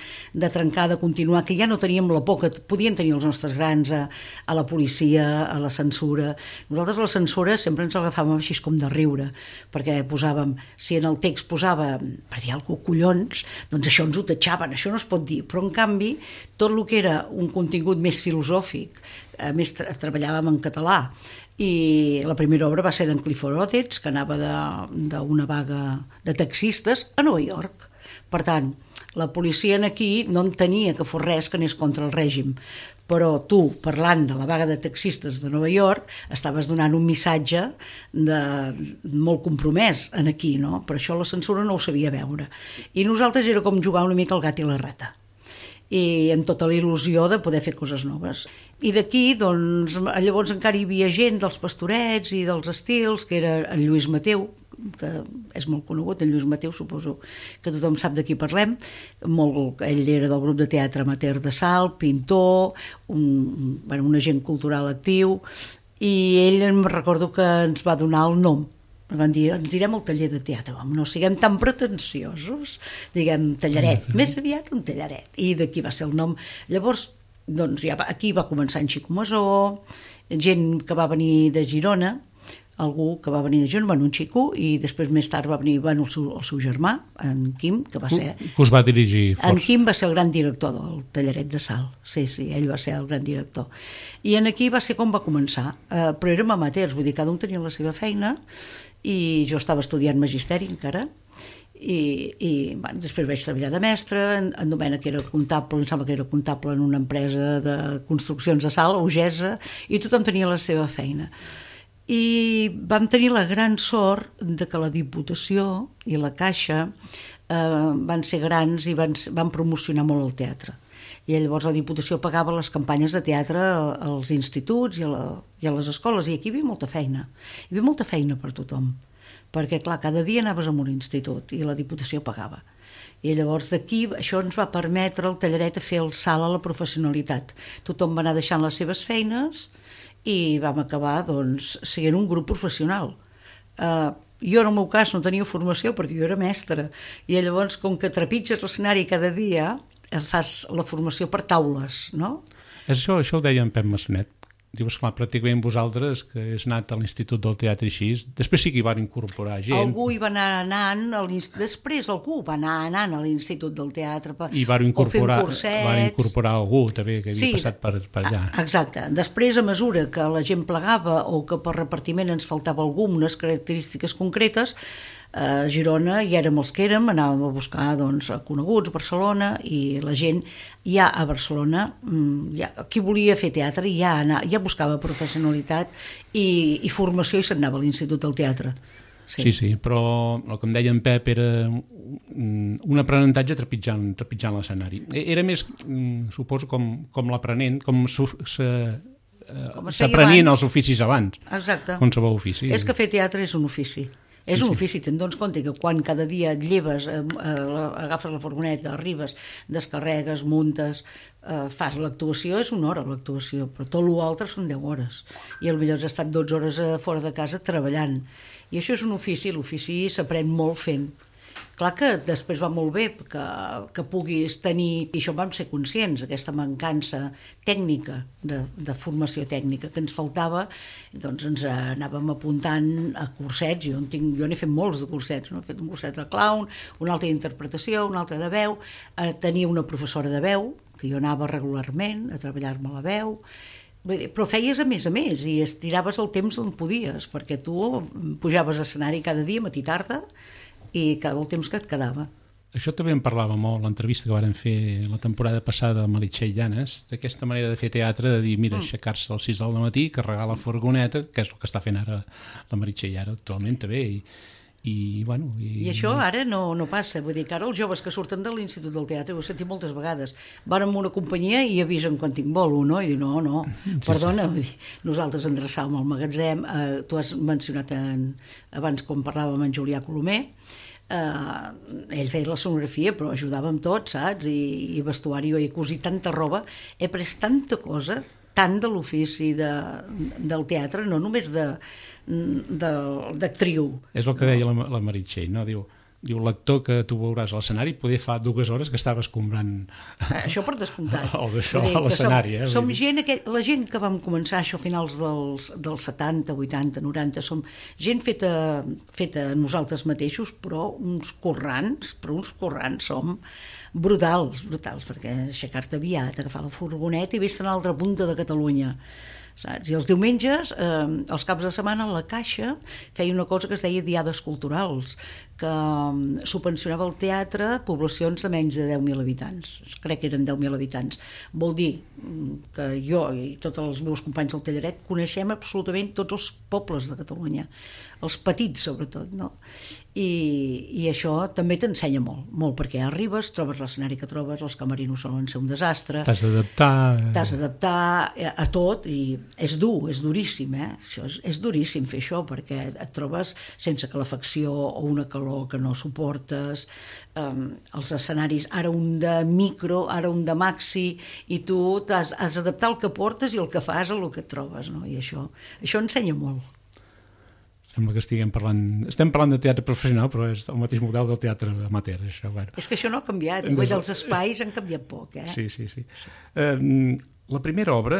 trencar, de continuar, que ja no teníem la por que podien tenir els nostres grans a la policia, a la censura. Nosaltres la censura sempre ens agafàvem així com de riure, perquè posàvem, si en el text posava, per dir alguna cosa, collons, doncs això ens ho tatxaven, això no es pot dir, però en canvi tot el que era un contingut més filosòfic, a més treballàvem en català, i la primera obra va ser d'en Clifford Odets, que anava d'una vaga de taxistes a Nova York. Per tant, la policia aquí no entenia que fos res que anés contra el règim, però tu, parlant de la vaga de taxistes de Nova York, estaves donant un missatge molt compromès aquí, no? Per això la censura no ho sabia veure. I nosaltres era com jugar una mica al gat i la rata, i amb tota la il·lusió de poder fer coses noves. I d'aquí, doncs, llavors encara hi havia gent dels pastorets i dels estils, que era en Lluís Mateu, que és molt conegut, en Lluís Mateu, suposo que tothom sap de qui parlem. Ell era del grup de teatre amateur de Salt, pintor, un agent cultural actiu, i ell em recordo que ens va donar el nom. Van dir, ens direm el taller de teatre, no siguem tan pretensiosos, diguem tallaret, més aviat un tallaret, i d'aquí va ser el nom. Llavors, doncs ja aquí va començar en Xico Masó, gent que va venir de Girona, algú que va venir de Girona, un xico, i després més tard va venir el seu germà, en Quim, que va ser... Que us va dirigir força. En Quim va ser el gran director del Tallaret de Salt, sí, ell va ser el gran director. I en aquí va ser com va començar, però érem amateurs, vull dir, cada un tenia la seva feina, i jo estava estudiant magisteri encara, i després vaig treballar de mestre, en Domènec era comptable, em sembla que era comptable en una empresa de construccions de Salt, Ogesa, i tothom tenia la seva feina. I vam tenir la gran sort de que la Diputació i la Caixa van ser grans i van promocionar molt el teatre. I llavors la Diputació pagava les campanyes de teatre als instituts i a les escoles, i aquí hi havia molta feina. Hi havia molta feina per tothom, perquè clar, cada dia anaves a un institut i la Diputació pagava. I llavors d'aquí això ens va permetre el Tallaret a fer el salt a la professionalitat. Tothom va anar deixant les seves feines i vam acabar doncs sent un grup professional. Jo en el meu cas no tenia formació perquè jo era mestra, i llavors com que trepitges l'escenari cada dia fas la formació per taules, no? Això ho deia en Pep Massanet. Diu, esclar, pràcticament vosaltres, que és anat a l'Institut del Teatre així, després sí que hi van incorporar gent. Algú hi va anar anant, després algú va anar anant a l'Institut del Teatre i van incorporar algú també que havia passat per allà. Exacte. Després, a mesura que la gent plegava o que per repartiment ens faltava algú amb unes característiques concretes, a Girona hi érem els que érem, anàvem a buscar doncs, coneguts, Barcelona, i la gent ja a Barcelona, qui volia fer teatre ja buscava professionalitat i formació, i se'n anava a l'Institut del Teatre. Sí, però el que em deia en Pep era un aprenentatge trepitjant l'escenari. Era més, suposo, com l'aprenent, com s'aprenien els oficis abans. Exacte. Qualsevol ofici. És que fer teatre és un ofici. És un ofici, te'n dones compte que quan cada dia et lleves, agafes la furgoneta, arribes, descarregues, muntes, fas l'actuació, és una hora l'actuació, però tot l'altre són 10 hores. I potser has estat 12 hores fora de casa treballant. I això és un ofici, l'ofici s'aprèn molt fent. Clar que després va molt bé que puguis tenir, i això vam ser conscients, aquesta mancança tècnica, de formació tècnica que ens faltava, doncs ens anàvem apuntant a cursets. Jo n'he fet molts de cursets, no? He fet un curset de clown, un altre d'interpretació, un altre de veu, tenia una professora de veu, que jo anava regularment a treballar-me la veu, però feies a més i estiraves el temps on podies, perquè tu pujaves a escenari cada dia, matí i tarda, i cada el temps que et quedava. Això també en parlava molt l'entrevista que varen fer la temporada passada a Meritxell Llanes, d'aquesta manera de fer teatre, de dir, mira, aixecar-se a les 6 del matí, carregar la furgoneta, que és el que està fent ara la Meritxell ara actualment també, i això ara no passa, vull dir que ara els joves que surten de l'Institut del Teatre, ho he sentit moltes vegades, van amb una companyia i avisen quan tinc bolo, no? I diu, no, perdona, nosaltres endreçàvem el magatzem, tu has mencionat abans quan parlàvem amb en Julià Colomer, ell feia la sonografia però ajudava amb tot, saps? I vestuari, jo he cosit tanta roba, he pres tanta cosa, tant de l'ofici del teatre, no només d'actriu. És el que deia la Meritxell, no? Diu, l'actor que tu veuràs a l'escenari poder fa 2 hores que estava escombrant això per descomptat a l'escenari. Som gent, la gent que vam començar això a finals dels 70, 80, 90, som gent feta nosaltres mateixos, però uns corrants som brutals, perquè aixecar-te aviat, agafar la furgoneta i vés-te a l'altra punta de Catalunya, saps? I els diumenges, els caps de setmana, la Caixa feia una cosa que es deia diades culturals, que subvencionava el teatre a poblacions de menys de 10.000 habitants. Crec que eren 10.000 habitants. Vol dir que jo i tots els meus companys del Tallaret coneixem absolutament tots els pobles de Catalunya, els petits sobretot, no? I això també t'ensenya molt, perquè arribes, trobes l'escenari que trobes, els camerinos solen ser un desastre, t'has d'adaptar a tot, i és dur, és duríssim, és duríssim fer això, perquè et trobes sense calefacció o una calor que no suportes, els escenaris, ara un de micro, ara un de maxi, i tu has d'adaptar el que portes i el que fas a el que et trobes, no? I això ensenya molt. Sembla que estem parlant de teatre professional, però és el mateix model del teatre amateur. Això, bueno. És que això no ha canviat, els espais han canviat poc. Sí. La primera obra,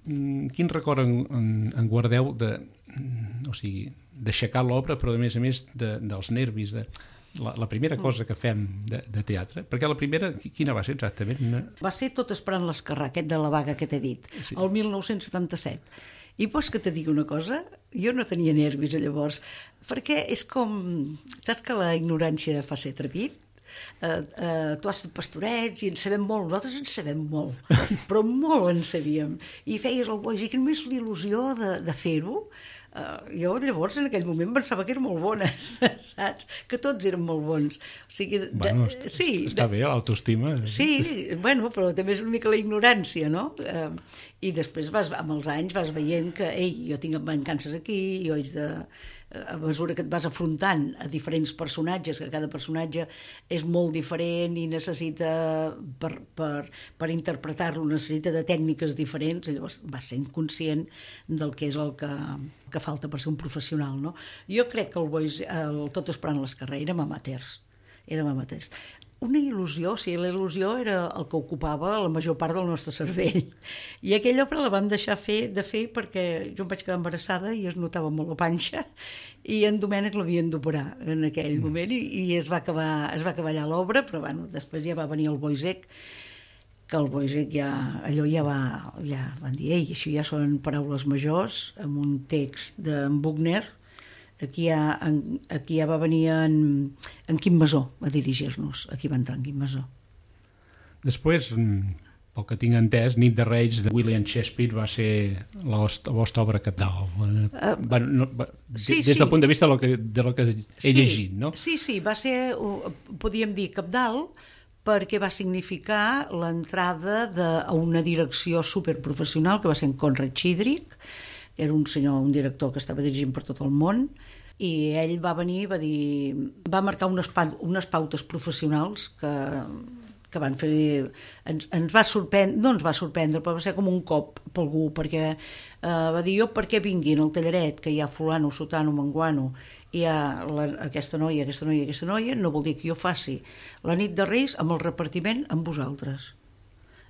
quin record en guardeu d'aixecar l'obra, però a més dels nervis, la primera cosa que fem de teatre? Perquè la primera, quina va ser exactament? Va ser Tot esperant l'esquerrà, aquest de la vaga que t'he dit, el 1977. I vols que te digui una cosa? Jo no tenia nervis llavors, perquè és com... Saps que la ignorància fa ser atrevit? Tu has fet pastorets i en sabem molt, nosaltres en sabem molt, però molt en sabíem. I feies el boix, i que només l'il·lusió de fer-ho. Jo llavors en aquell moment pensava que eren molt bones, saps? Que tots eren molt bons. O sigui, està bé, l'autoestima. Sí, bueno, però també és una mica la ignorància, no? I després amb els anys vas veient que jo tinc mancances aquí, jo haig de... A mesura que et vas afrontant a diferents personatges, que cada personatge és molt diferent i necessita, per interpretar-lo, necessita de tècniques diferents, llavors vas sent conscient del que és el que falta per ser un professional, no? Jo crec que el Tot esperant l'esquerrà érem amateurs. Una il·lusió, la il·lusió era el que ocupava la major part del nostre cervell. I aquella obra la vam deixar de fer perquè jo em vaig quedar embarassada i es notava molt la panxa i en Domènec l'havien d'operar en aquell moment i es va acabar allà l'obra, però bueno, després ja va venir el Boisec, que el Boisec ja van dir, això ja són paraules majors, amb un text d'en Buchner. Aquí ja va venir en Quim Masó a dirigir-nos. Aquí va entrar en Quim Masó. Després, pel que tinc entès, Nit de Reis de William Shakespeare va ser la vostra obra cabdal. Des del punt de vista de lo que he llegit, no? Sí, va ser, podríem dir, cabdal, perquè va significar l'entrada a una direcció superprofessional que va ser en Conrad Schiedrich. Era un director que estava dirigint per tot el món, i ell va venir i va marcar unes pautes professionals que van fer... Ens va sorprendre, no ens va sorprendre, però va ser com un cop per algú, perquè va dir, per què vingui en el tallaret, que hi ha fulano, sotano, manguano, i hi ha aquesta noia, no vol dir que jo faci la Nit de Reis amb el repartiment amb vosaltres.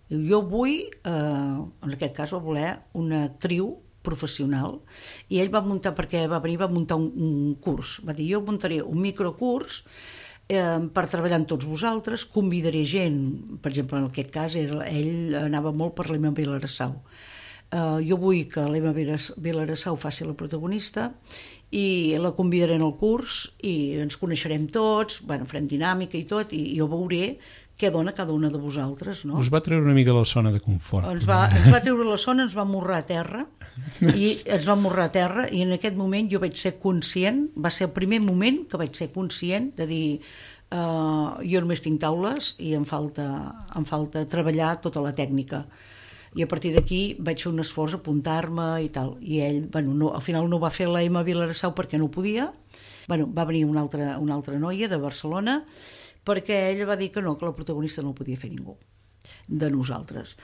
Jo vull, en aquest cas va voler una actriu professional, i ell va muntar, perquè va venir, va muntar un curs, va dir, jo muntaré un microcurs per treballar amb tots vosaltres, convidaré gent, per exemple, en aquest cas ell anava molt per l'Emma Vilarassau. Jo vull que l'Emma Vilarassau faci la protagonista i la convidaré en el curs i ens coneixerem tots, farem dinàmica i tot, i jo veuré què dona cada una de vosaltres, no? Us va treure una mica la zona de confort. Ens va treure la zona, ens va morrar a terra, i en aquest moment jo vaig ser conscient, va ser el primer moment que vaig ser conscient de dir, jo només tinc taules i em falta treballar tota la tècnica. I a partir d'aquí vaig fer un esforç, apuntar-me i tal. I ell, al final no va fer la Emma Vilarassau perquè no podia. Va venir una altra noia de Barcelona, perquè ella va dir que no, que la protagonista no el podia fer ningú de nosaltres.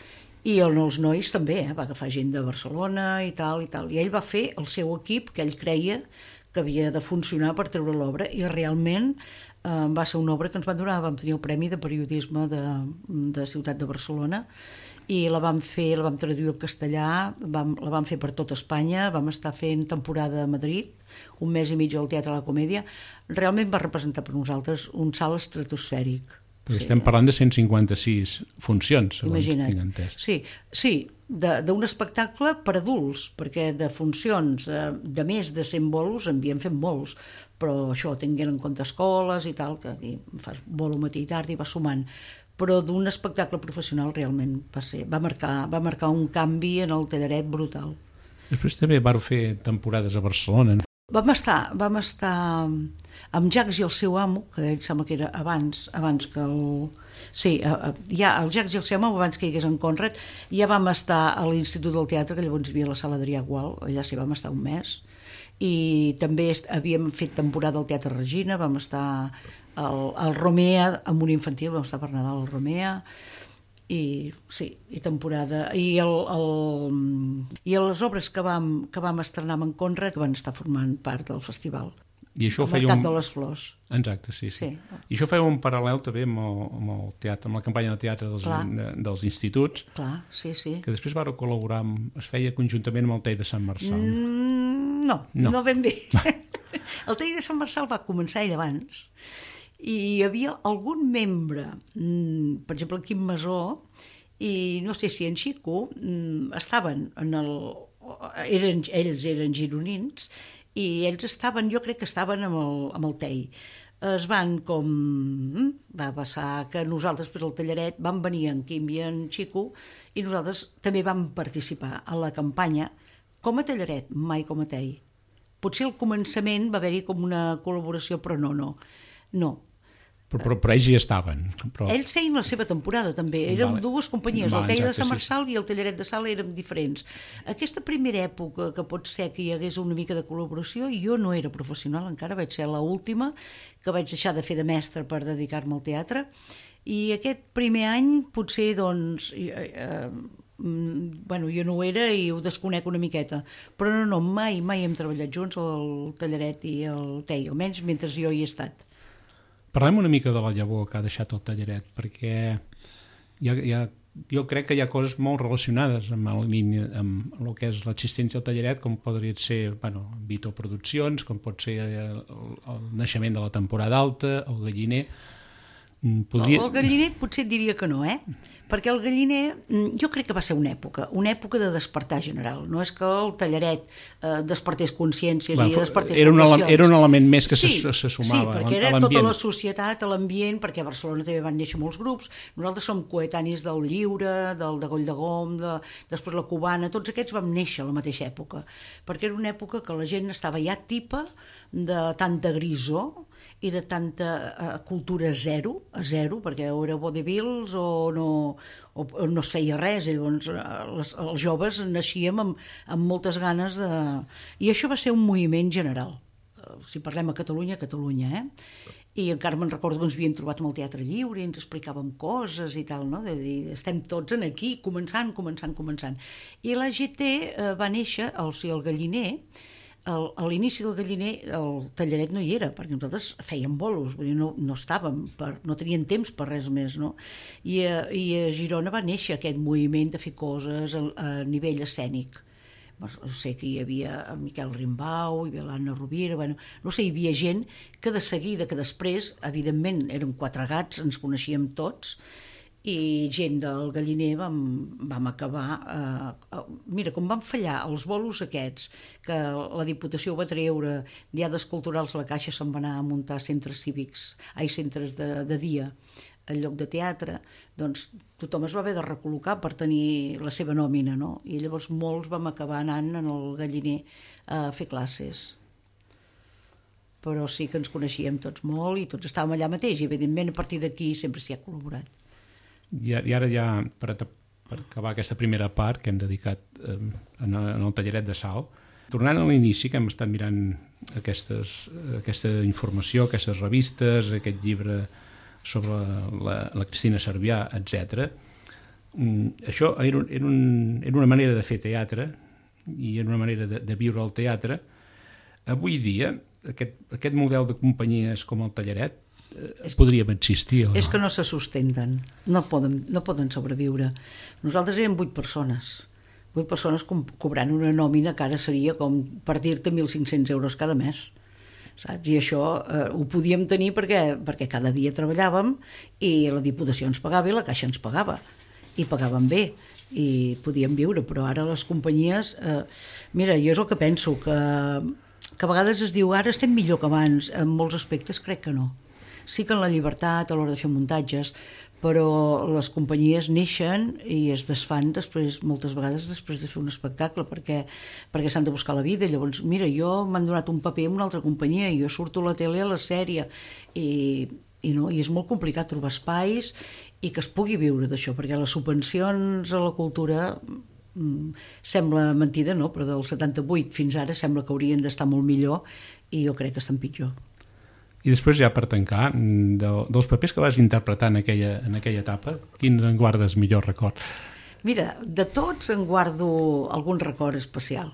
I els nois també, va agafar gent de Barcelona i tal, i ell va fer el seu equip que ell creia que havia de funcionar per treure l'obra, i realment va ser una obra que ens van donar, vam tenir el Premi de Periodisme de Ciutat de Barcelona, i la vam traduir al castellà, la vam fer per tot Espanya, vam estar fent temporada a Madrid, un mes i mig al Teatre de la Comèdia. Realment va representar per nosaltres un salt estratosfèric. Perquè estem parlant de 156 funcions, segons tinc entès. Sí, d'un espectacle per adults, perquè de funcions de més de 100 bolos en havíem fet molts, però això, tinguent en compte escoles i tal, que aquí fas bolo matí i tard i va sumant. Però d'un espectacle professional realment va marcar un canvi en el tallaret brutal. Després també vau fer temporades a Barcelona. Vam estar amb Jacques i el seu amo, que ell sembla que era abans que Sí, ja el Jacques Gelcem, abans que hi hagués en Conrad, ja vam estar a l'Institut del Teatre, que llavors hi havia la sala Adrià Gual, allà s'hi vam estar un mes, i també havíem fet temporada al Teatre Regina, vam estar al Romea, amb un infantil, vam estar per Nadal al Romea, i sí, i temporada i les obres que vam estrenar amb en Conrad van estar formant part del festival. I això el Mercat de les Flors. Exacte, sí. I això feia un paral·lel també amb el teatre, amb la campanya de teatre dels instituts. Clar, sí. Que després vau col·laborar, es feia conjuntament amb el TEI de Sant Marçal. No ben bé. El TEI de Sant Marçal va començar ell abans i hi havia algun membre, per exemple en Quim Masó, i no sé si en Xico, estaven ells eren gironins, i ells estaven, jo crec que estaven amb el TEI. Es van va passar que nosaltres per al Tallaret vam venir en Quim i en Xico i nosaltres també vam participar a la campanya com a Tallaret, mai com a TEI. Potser al començament va haver-hi com una col·laboració, però no. Però ells hi estaven. Ells feien la seva temporada també, érem dues companyies, el TEI de Sant Marçal i el Tallaret de Sala érem diferents. Aquesta primera època que pot ser que hi hagués una mica de col·laboració, jo no era professional encara, vaig ser l'última que vaig deixar de fer de mestre per dedicar-me al teatre, i aquest primer any potser doncs jo no ho era i ho desconec una miqueta, però no, mai hem treballat junts el Tallaret i el TEI, almenys mentre jo hi he estat. Parlem una mica de la llavor que ha deixat el Tallaret, perquè jo crec que hi ha coses molt relacionades amb el que és l'existència del Tallaret, com podria ser Vito Produccions, com pot ser el naixement de la temporada alta, el Galliner. El Galliner potser et diria que no, perquè el Galliner jo crec que va ser una època de despertar general. No és que el Tallaret despertés consciències i despertés vocacions. Era un element més que se sumava. Sí, perquè era tota la societat, l'ambient, perquè a Barcelona també van néixer molts grups. Nosaltres som coetanis del Lliure, del de Goll de Gom, després la Cubana, tots aquests vam néixer a la mateixa època, perquè era una època que la gent estava ja tipa de tanta grisor i de tanta cultura zero, perquè o era vodevils o no es feia res, llavors els joves naixíem amb moltes ganes de... I això va ser un moviment general. Si parlem a Catalunya, i encara me'n recordo que ens havíem trobat amb el Teatre Lliure i ens explicàvem coses i tal, no? De dir, estem tots aquí, començant. I la GT va néixer, o sigui, el Galliner, a l'inici del Galliner el Tallaret no hi era, perquè nosaltres fèiem bolos, vull dir, no estàvem, no tenien temps per res més, no? I a Girona va néixer aquest moviment de fer coses a nivell escènic. Sé que hi havia en Miquel Rimbau, hi havia l'Anna Rovira, no sé, hi havia gent que de seguida, que després, evidentment, érem 4 gats, ens coneixíem tots, i gent del Galliner vam acabar... Mira, com van fallar els bolos aquests, que la Diputació ho va treure, diades culturals, la Caixa se'n va anar a muntar centres cívics, centres de dia, en lloc de teatre, doncs tothom es va haver de recol·locar per tenir la seva nòmina, no? I llavors molts vam acabar anant en el Galliner a fer classes. Però sí que ens coneixíem tots molt i tots estàvem allà mateix, i evidentment a partir d'aquí sempre s'hi ha col·laborat. I ara ja, per acabar aquesta primera part que hem dedicat en el Tallaret de Sal, tornant a l'inici, que hem estat mirant aquesta informació, aquestes revistes, aquest llibre sobre la Cristina Cervià, etc. Això era una manera de fer teatre i era una manera de viure el teatre. Avui dia, aquest model de companyies com el Tallaret podríem existir o no? És que no se sustenten, no poden sobreviure. Nosaltres érem 8 persones cobrant una nòmina que ara seria com per dir-te 1.500 euros cada mes, saps? I això ho podíem tenir perquè cada dia treballàvem i la Diputació ens pagava i la Caixa ens pagava, i pagaven bé i podíem viure, però ara les companyies mira, jo és el que penso, que a vegades es diu ara estem millor que abans, en molts aspectes crec que no. Sí que en la llibertat a l'hora de fer muntatges, però les companyies neixen i es desfan moltes vegades després de fer un espectacle, perquè s'han de buscar la vida. Llavors, mira, m'han donat un paper en una altra companyia i jo surto a la tele a la sèrie i I és molt complicat trobar espais i que es pugui viure d'això, perquè les subvencions a la cultura sembla mentida, no? Però del 78 fins ara sembla que haurien d'estar molt millor i jo crec que estan pitjor. I després, ja per tancar, dels papers que vas interpretar en aquella etapa, quins en guardes millor record? Mira, de tots en guardo algun record especial,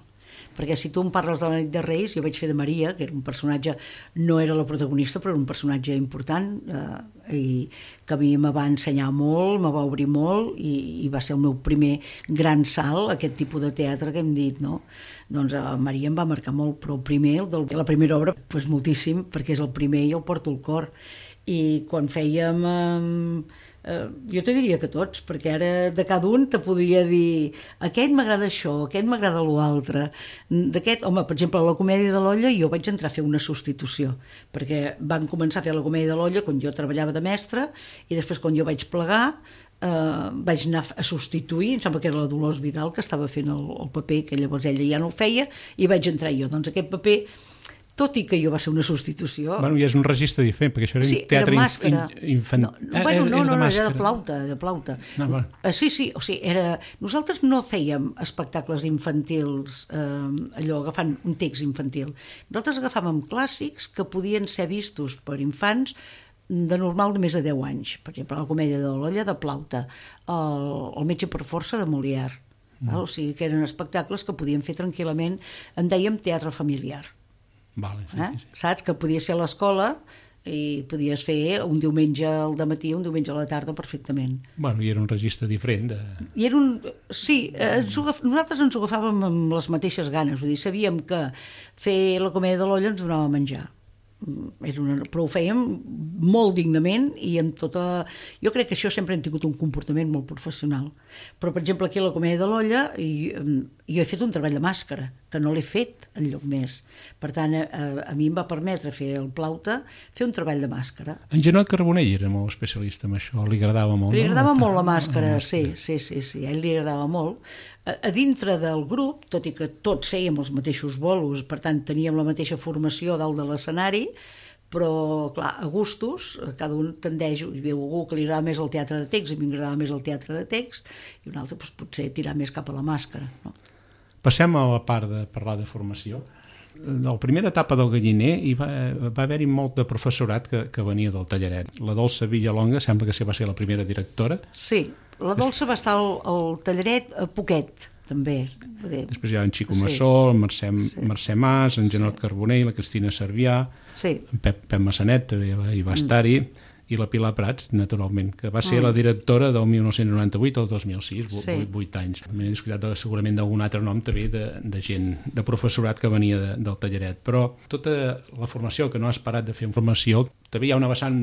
perquè si tu em parles de la nit de Reis, jo vaig fer de Maria, que era un personatge, no era la protagonista, però era un personatge important, i que a mi me va ensenyar molt, me va obrir molt, i va ser el meu primer gran salt, aquest tipus de teatre que hem dit, no? Doncs Maria em va marcar molt, però el primer, la primera obra, doncs moltíssim, perquè és el primer i el porto al cor. I quan fèiem... jo te diria que tots, perquè ara de cada un te podria dir aquest m'agrada això, aquest m'agrada l'altre. D'aquest, home, per exemple, a la Comèdia de l'Olla jo vaig entrar a fer una substitució, perquè van començar a fer la Comèdia de l'Olla quan jo treballava de mestra, i després quan jo vaig plegar vaig anar a substituir, em sembla que era la Dolors Vidal que estava fent el paper, que llavors ella ja no el feia, i vaig entrar jo. Doncs aquest paper, tot i que jo va ser una substitució... Bueno, i és un registre diferent, perquè això era un teatre infantil. No, era de plauta. Sí, o sigui, nosaltres no fèiem espectacles infantils, allò, agafant un text infantil. Nosaltres agafàvem clàssics que podien ser vistos per infants de normal de més de 10 anys. Per exemple, la Comèdia de l'Olla de Plauta, el Metge per força de Molière. O sigui, que eren espectacles que podíem fer tranquil·lament, en dèiem teatre familiar. Vale, sí. Saps? Que podies fer a l'escola i podies fer un diumenge al dematí, un diumenge a la tarda perfectament. Bueno, i era un registre diferent. Sí, nosaltres ens ho agafàvem amb les mateixes ganes, vull dir, sabíem que fer la Comèdia de l'Olla ens donava a menjar. Però ho fèiem molt dignament i amb tota... Jo crec que això sempre hem tingut un comportament molt professional. Però, per exemple, aquí a la Comèdia de l'Olla jo he fet un treball de màscara, que no l'he fet enlloc més. Per tant, a mi em va permetre fer el Plauta, fer un treball de màscara. En Janot Carbonell era molt especialista en això, li agradava molt, Li agradava molt la màscara, sí, a ell li agradava molt. A dintre del grup, tot i que tots fèiem els mateixos bolos, per tant teníem la mateixa formació dalt de l'escenari, però clar, a gustos, cada un tendeix, hi veu algú que li agrada més el teatre de text, a mi m'agradava més el teatre de text, i un altre potser tirar més cap a la màscara. No? Passem a la part de parlar de formació. En la primera etapa del Galliner va haver-hi molt de professorat que venia del Tallaret. La Dolça Villalonga sembla que va ser la primera directora. Sí, la Dolça va estar al Tallaret a poquet, també. Després hi ha en Xico Massó, en Mercè Mas, en Janot Carbonell, la Cristina Cervià, en Pep Massanet també hi va estar-hi, i la Pilar Prats, naturalment, que va ser la directora del 1998 al 2006, 8 anys. M'he descuidat segurament d'algun altre nom també de gent, de professorat que venia del Tallaret. Però tota la formació, que no has parat de fer formació, també hi ha una vessant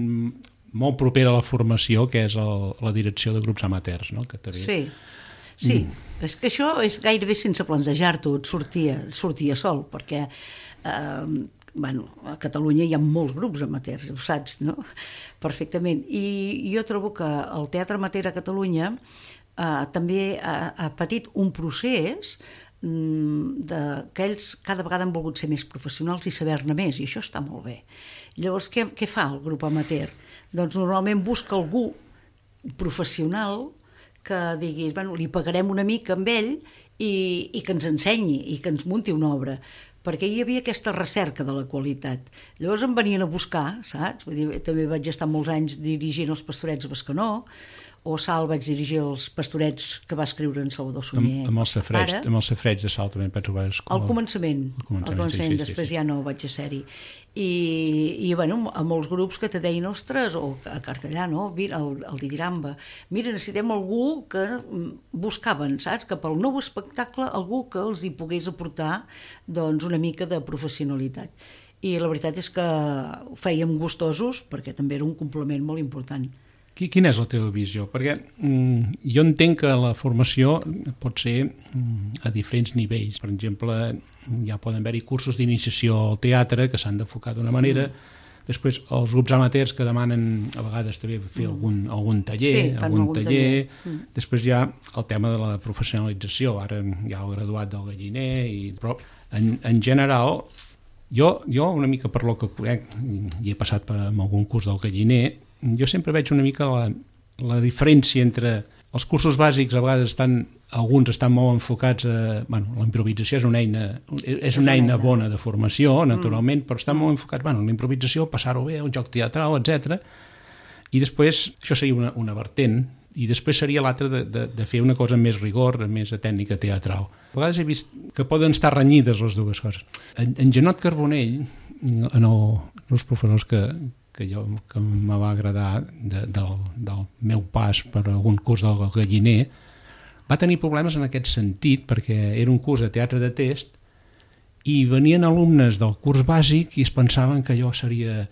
molt propera a la formació, que és la direcció de grups amateurs, no? Que també... Sí, és que això és gairebé sense plantejar-t'ho, et sortia sol, perquè a Catalunya hi ha molts grups amateurs, ho saps, no? Perfectament. I jo trobo que el teatre amateur a Catalunya també ha patit un procés que ells cada vegada han volgut ser més professionals i saber-ne més, i això està molt bé. Llavors, què fa el grup amateur? Doncs normalment busca algú professional que diguis, li pagarem una mica amb ell i que ens ensenyi i que ens munti una obra, perquè hi havia aquesta recerca de la qualitat. Llavors em venien a buscar, saps? Vull dir, també vaig estar molts anys dirigint els Pastorets a Bescanó, o Sal vaig dirigir els Pastorets que va escriure en Salvador Sunyer. Amb el Safareig de Sal també penso que vas... Al començament, després ja no vaig a ser-hi. I a molts grups que te deien, ostres, o a Cartellà, no? El Didiramba. Mira, necessitem algú que buscaven, saps? Que pel nou espectacle algú que els hi pogués aportar una mica de professionalitat. I la veritat és que ho fèiem gustosos perquè també era un complement molt important. Quina és la teva visió? Perquè jo entenc que la formació pot ser a diferents nivells. Per exemple, ja poden haver-hi cursos d'iniciació al teatre que s'han d'enfocar d'una manera. Després, els grups amateurs que demanen a vegades també fer algun taller. Després hi ha el tema de la professionalització. Ara hi ha el graduat del Galliner. Però en general Jo una mica per lo que conec, i he passat per algun curs del Galliner, jo sempre veig una mica la diferència entre els cursos bàsics. A vegades alguns estan molt enfocats a... la improvisació és una eina bona de formació, naturalment, però estan molt enfocats la improvisació, passar-ho bé, un joc teatral, etc. I després, això seria una vertent, i després seria l'altra de fer una cosa amb més rigor, més de tècnica teatral. A vegades he vist que poden estar renyides les dues coses. En Janot Carbonell, en els professors que me va agradar del meu pas per algun curs del Galliner, va tenir problemes en aquest sentit, perquè era un curs de teatre de test i venien alumnes del curs bàsic i es pensaven que allò seria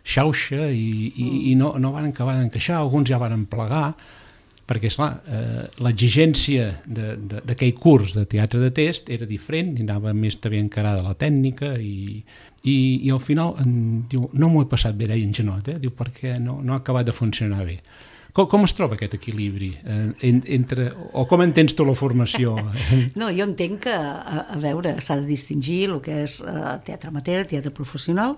xauxa i no van acabar d'encaixar, alguns ja van plegar, perquè, esclar, l'exigència d'aquell curs de teatre de test era diferent, i anava més també encarada la tècnica, i al final diu, no m'ho he passat bé, deia en Janot, diu, perquè no ha acabat de funcionar bé. Com es troba aquest equilibri entre, o com entens tu la formació? No, jo entenc que, a veure, s'ha de distingir el que és teatre amateur, teatre professional,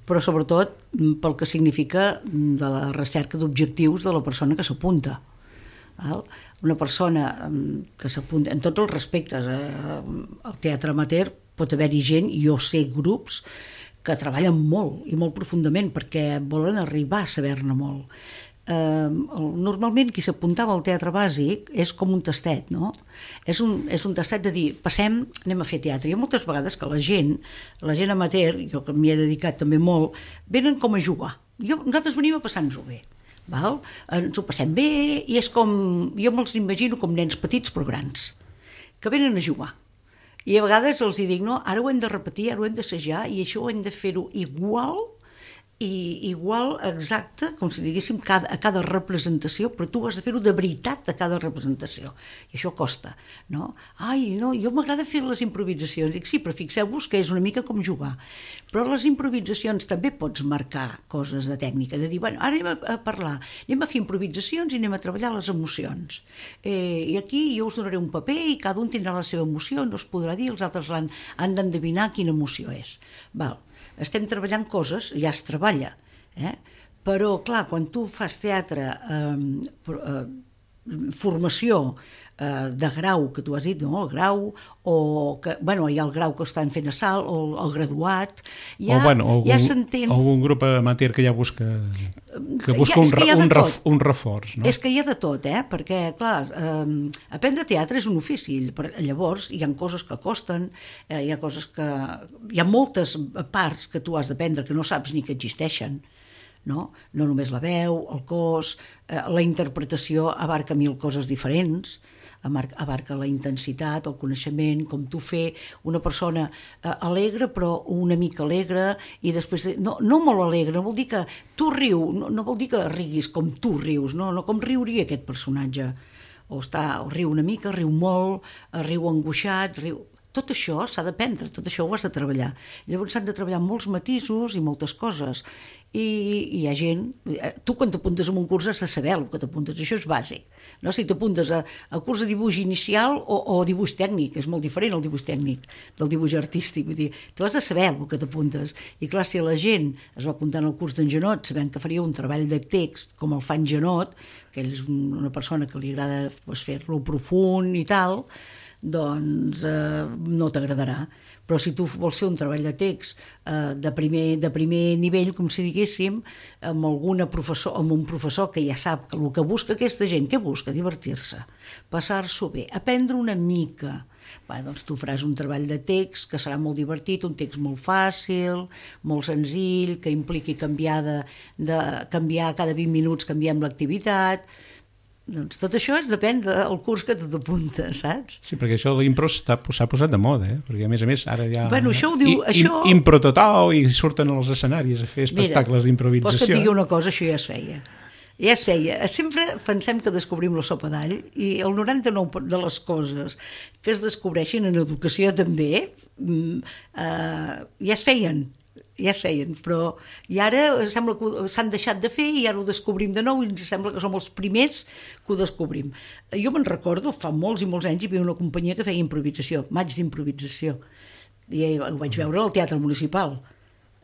però sobretot pel que significa de la recerca d'objectius de la persona que s'apunta. Una persona que s'apunta, en tots els respectes, al teatre amateur pot haver-hi gent, jo sé grups que treballen molt i molt profundament perquè volen arribar a saber-ne molt. Normalment qui s'apuntava al teatre bàsic és com un tastet, no? És un tastet de dir, passem, anem a fer teatre. Hi ha moltes vegades que la gent amateur, jo que m'hi he dedicat també molt, venen com a jugar. Nosaltres venim a passar-nos-ho bé. Val? Ens ho passem bé i és com, jo me'ls imagino com nens petits però grans, que venen a jugar. I a vegades els dic, no, ara ho hem de repetir, ara ho hem d'assajar i això ho hem de fer-ho igual exacte, com si diguéssim a cada representació, però tu has de fer-ho de veritat a cada representació, i això costa, no? Jo m'agrada fer les improvisacions. Dic, sí, però fixeu-vos que és una mica com jugar, però les improvisacions també pots marcar coses de tècnica, de dir, bueno, ara anem a parlar, anem a fer improvisacions i anem a treballar les emocions, i aquí jo us donaré un paper i cada un tindrà la seva emoció, no es podrà dir, els altres han d'endevinar quina emoció és. Val. Estem treballant coses, ja es treballa, però clar, quan tu fas teatre, formació de grau, que tu has dit, no? El grau, o que, bueno, hi ha el grau que estan fent a salt, o el graduat, ja s'entén... O algun grup amateur que ja busca un reforç, no? És que hi ha de tot, perquè, clar, aprendre teatre és un ofici, llavors hi ha coses que costen, hi ha moltes parts que tu has d'aprendre que no saps ni que existeixen, no només la veu, el cos, la interpretació abarca 1000 coses diferents, abarca la intensitat, el coneixement, com tu fer una persona alegre però una mica alegre i després, no molt alegre, no vol dir que tu no vol dir que riguis com tu rius, no com riuria aquest personatge, o riu una mica, riu molt, riu angoixat, tot això s'ha d'aprendre, tot això ho has de treballar. Llavors s'han de treballar molts matisos i moltes coses. I hi ha gent... Tu quan t'apuntes a un curs has de saber el que t'apuntes, això és bàsic. No? Si t'apuntes a curs de dibuix inicial o dibuix tècnic, és molt diferent el dibuix tècnic del dibuix artístic. Vull dir, tu has de saber el que t'apuntes. I clar, si la gent es va apuntar al curs d'en Janot sabent que faria un treball de text com el fa en Janot, que ell és una persona que li agrada fer-lo profund i tal, doncs no t'agradarà. Però si tu vols fer un treball de text de primer nivell, com si diguéssim, amb un professor que ja sap que el que busca aquesta gent, què busca? Divertir-se, passar-s'ho bé, aprendre una mica. Doncs tu faràs un treball de text que serà molt divertit, un text molt fàcil, molt senzill, que impliqui canviar cada 20 minuts, canviem l'activitat. Doncs tot això depèn del curs que tu t'apuntes, saps? Sí, perquè això de l'impro s'ha posat de moda, perquè a més ara ja... Bueno, això ho diu... Impro total, i surten als escenaris a fer espectacles d'improvisació. Vols que et digui una cosa? Això ja es feia. Ja es feia. Sempre pensem que descobrim la sopa d'all i el 99% de les coses que es descobreixen en educació també ja es feien, però i ara sembla que s'han deixat de fer i ara ho descobrim de nou i ens sembla que som els primers que ho descobrim. Jo me'n recordo, fa molts i molts anys hi havia una companyia que feia improvisació, maig d'improvisació, I ho vaig veure al Teatre Municipal.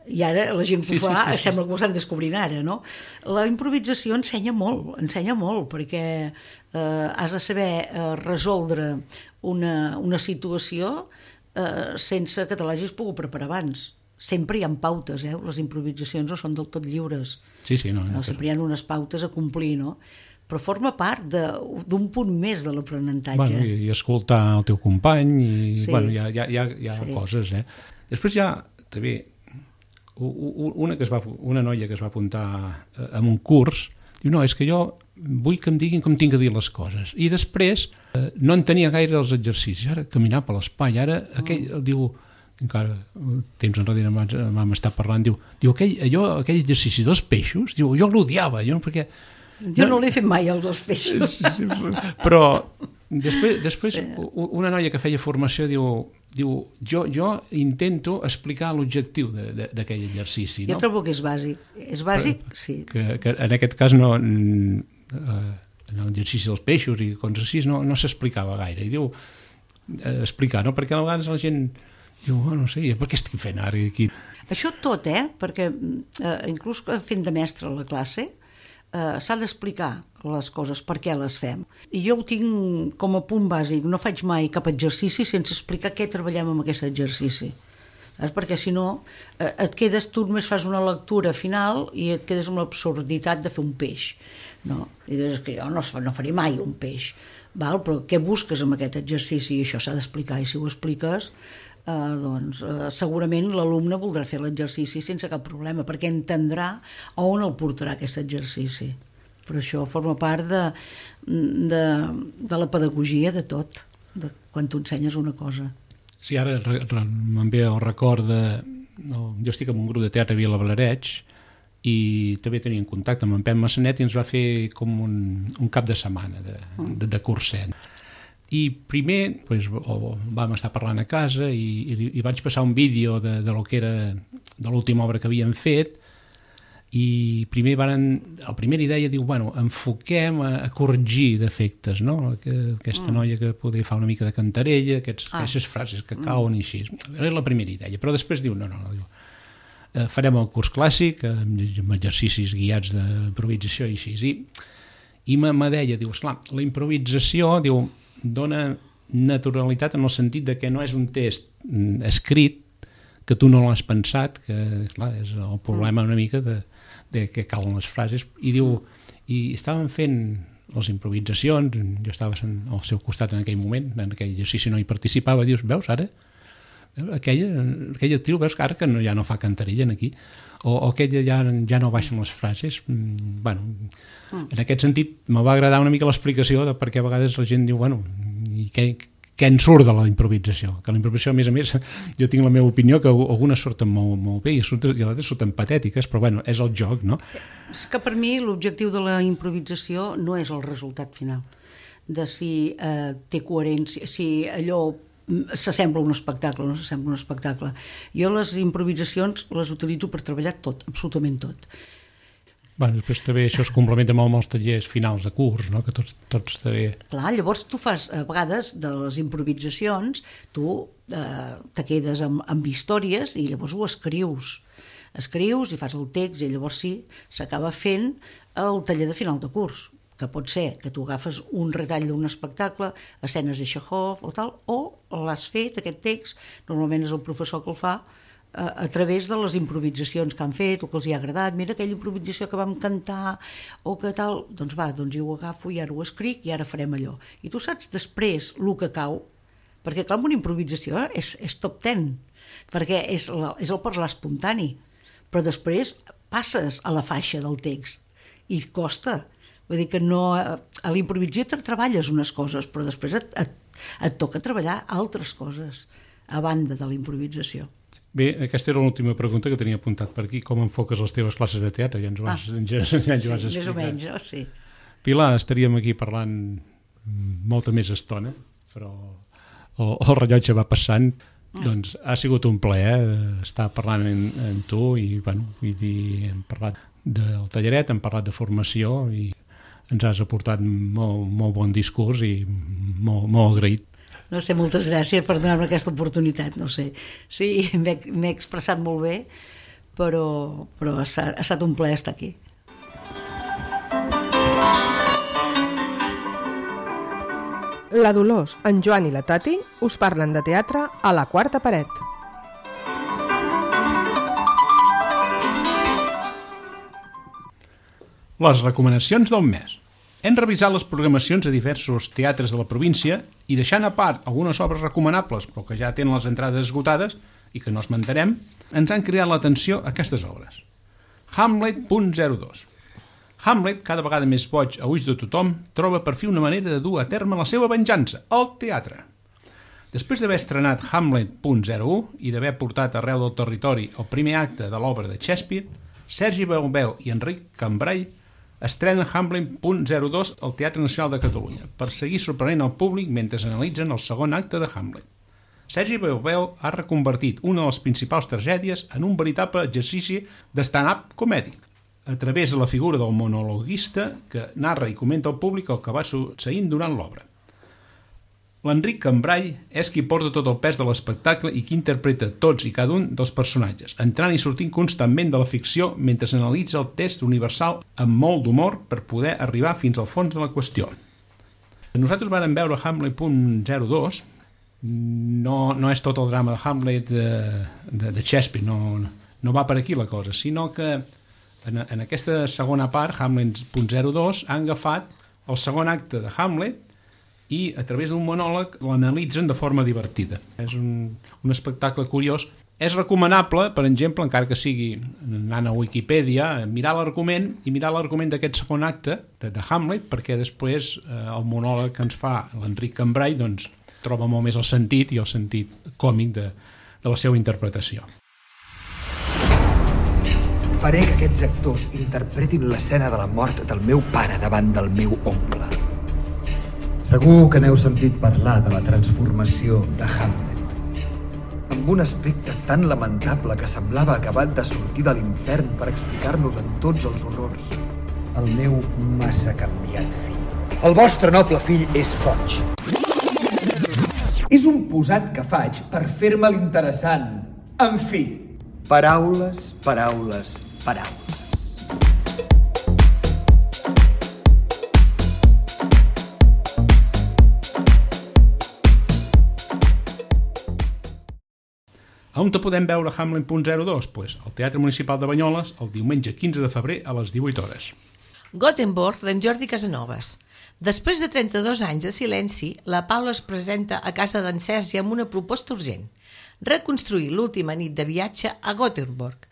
I ara la gent que ho fa sembla que ho estan descobrint ara, no? La improvisació ensenya molt, perquè has de saber resoldre una situació sense que te l'hagis pogut preparar abans. Sempre hi ha pautes, les improvisacions no són del tot lliures. Sempre hi ha unes pautes a complir, no? Però forma part d'un punt més de l'aprenentatge. I escoltar el teu company, hi ha coses, Després hi ha, també, una noia que es va apuntar a un curs, diu, no, és que jo vull que em diguin com tinc que dir les coses. I després no entenia gaire els exercicis. Ara caminar per l'espai, ara aquell, diu, encara temps enrere vam estar parlant, diu aquell exercici dels peixos, diu, jo l'odiava, perquè... Jo no l'he fet mai, el dels peixos. Però després una noia que feia formació diu, jo intento explicar l'objectiu d'aquell exercici. Jo trobo que és bàsic. És bàsic, sí. Que en aquest cas no... en l'exercici dels peixos i coses així no s'explicava gaire. I diu, explicar, no? Perquè a vegades la gent diu, no sé, per què estic fent ara aquí? Això tot, perquè inclús fent de mestre a la classe s'ha d'explicar les coses, per què les fem. I jo ho tinc com a punt bàsic, no faig mai cap exercici sense explicar què treballem amb aquest exercici. Perquè si no et quedes, tu només fas una lectura final i et quedes amb l'absurditat de fer un peix. No? I dius que jo no faré mai un peix. Però què busques amb aquest exercici? I això s'ha d'explicar, i si ho expliques segurament l'alumne voldrà fer l'exercici sense cap problema, perquè entendrà on el portarà aquest exercici. Però això forma part de la pedagogia de tot, de quan tu ensenyes una cosa. Sí, ara me'n ve el record jo estic en un grup de teatre a Vilablareix i també teníem contacte amb en Pep Massanet i ens va fer com un cap de setmana de curset. I primer vam estar parlant a casa i vaig passar un vídeo de l'última obra que havíem fet i primer la primera idea diu, enfoquem a corregir defectes, no? Aquesta noia que poder fa una mica de cantarella, aquestes frases que cauen i així. Era la primera idea, però després diu, no, farem el curs clàssic amb exercicis guiats d'improvisació i així. I me deia, diu, esclar, la improvisació, diu, dona naturalitat en el sentit de que no és un text escrit que tu no l'has pensat, que clar, és el problema una mica de que calen les frases, i diu, i estaven fent les improvisacions, jo estava al seu costat en aquell moment, en aquell exercici no hi participava, dius, veus ara? Aquella actriu, veus que ara que ja no fa cantarella aquí, o aquella ja no baixen les frases. En aquest sentit me va agradar una mica l'explicació de per què a vegades la gent diu, i què en surt de la improvisació? Que la improvisació, a més, jo tinc la meva opinió que algunes surten molt bé i altres surten patètiques, però és el joc, no? És que per mi l'objectiu de la improvisació no és el resultat final, de si té coherència, si allò s'assembla a un espectacle o no s'assembla a un espectacle. Jo les improvisacions les utilitzo per treballar tot, absolutament tot. Després també això es complementa molt amb els tallers finals de curs, no? Que tots també... Clar, llavors tu fas, a vegades, de les improvisacions, tu te quedes amb històries i llavors ho escrius. Escrius i fas el text i llavors sí, s'acaba fent el taller de final de curs, que pot ser que tu agafes un retall d'un espectacle, escenes de Chekhov o tal, o l'has fet, aquest text, normalment és el professor que el fa, a través de les improvisacions que han fet o que els hi ha agradat, mira aquella improvisació que vam cantar o que tal, doncs jo ho agafo i ara ho escric i ara farem allò. I tu saps després el que cau, perquè clar, una improvisació és top 10, perquè és el parlar espontani, però després passes a la faixa del text i costa. Vull dir que no, a l'improvisació treballes unes coses, però després et toca treballar altres coses a banda de la improvisació. Bé, aquesta era l'última pregunta que tenia apuntat per aquí. Com enfoques les teves classes de teatre? Ja ens ho vas explicar. Sí, més o menys, no? Sí. Pilar, estaríem aquí parlant molta més estona, però el rellotge va passant. Doncs ha sigut un plaer estar parlant amb tu i, vull dir, hem parlat del talleret, hem parlat de formació i ens has aportat molt bon discurs i molt agraït. No sé, moltes gràcies per donar-me aquesta oportunitat, no sé. Sí, m'he expressat molt bé, però ha estat un plaer estar aquí. La Dolors, en Joan i la Tati us parlen de teatre a la quarta paret. Les recomanacions del mes. Hem revisat les programacions de diversos teatres de la província i deixant a part algunes obres recomanables però que ja tenen les entrades esgotades i que no esmentarem, ens han cridat l'atenció aquestes obres. Hamlet.02. Hamlet, cada vegada més boig a ulls de tothom, troba per fi una manera de dur a terme la seva venjança, al teatre. Després d'haver estrenat Hamlet.01 i d'haver portat arreu del territori el primer acte de l'obra de Shakespeare, Sergi Beubeu i Enric Cambray estrenen Hamlet.02 al Teatre Nacional de Catalunya per seguir sorprenent el públic mentre analitzen el segon acte de Hamlet. Sergi Beubeu ha reconvertit una de les principals tragèdies en un veritable exercici de stand-up comèdic, a través de la figura del monologuista que narra i comenta al públic el que va succeint durant l'obra. L'Enric Cambray és qui porta tot el pes de l'espectacle i qui interpreta tots i cada un dels personatges, entrant i sortint constantment de la ficció mentre s'analitza el text universal amb molt d'humor per poder arribar fins al fons de la qüestió. Nosaltres vàrem veure Hamlet.02, no és tot el drama de Hamlet de Shakespeare, no va per aquí la cosa, sinó que en aquesta segona part, Hamlet.02, han agafat el segon acte de Hamlet i a través d'un monòleg l'analitzen de forma divertida. És un espectacle curiós. És recomanable, per exemple, encara que sigui anant a Wikipedia, mirar l'argument d'aquest segon acte de Hamlet, perquè després el monòleg que ens fa l'Enric Cambray doncs, troba molt més el sentit i el sentit còmic de la seva interpretació. Faré que aquests actors interpretin l'escena de la mort del meu pare davant del meu oncle. Segur que n'heu sentit parlar de la transformació de Hamlet. Amb un aspecte tan lamentable que semblava acabat de sortir de l'infern per explicar-nos en tots els horrors. El meu massa canviat fill. El vostre noble fill és boig. És un posat que faig per fer-me l'interessant. En fi, paraules, paraules, paraules. On te podem veure Hamlet.02? Pues al Teatre Municipal de Banyoles el diumenge 15 de febrer a les 18 hores. Gothenburg, d'en Jordi Casanovas. Després de 32 anys de silenci, la Paula es presenta a casa d'en Sergi amb una proposta urgent: reconstruir l'última nit de viatge a Gothenburg,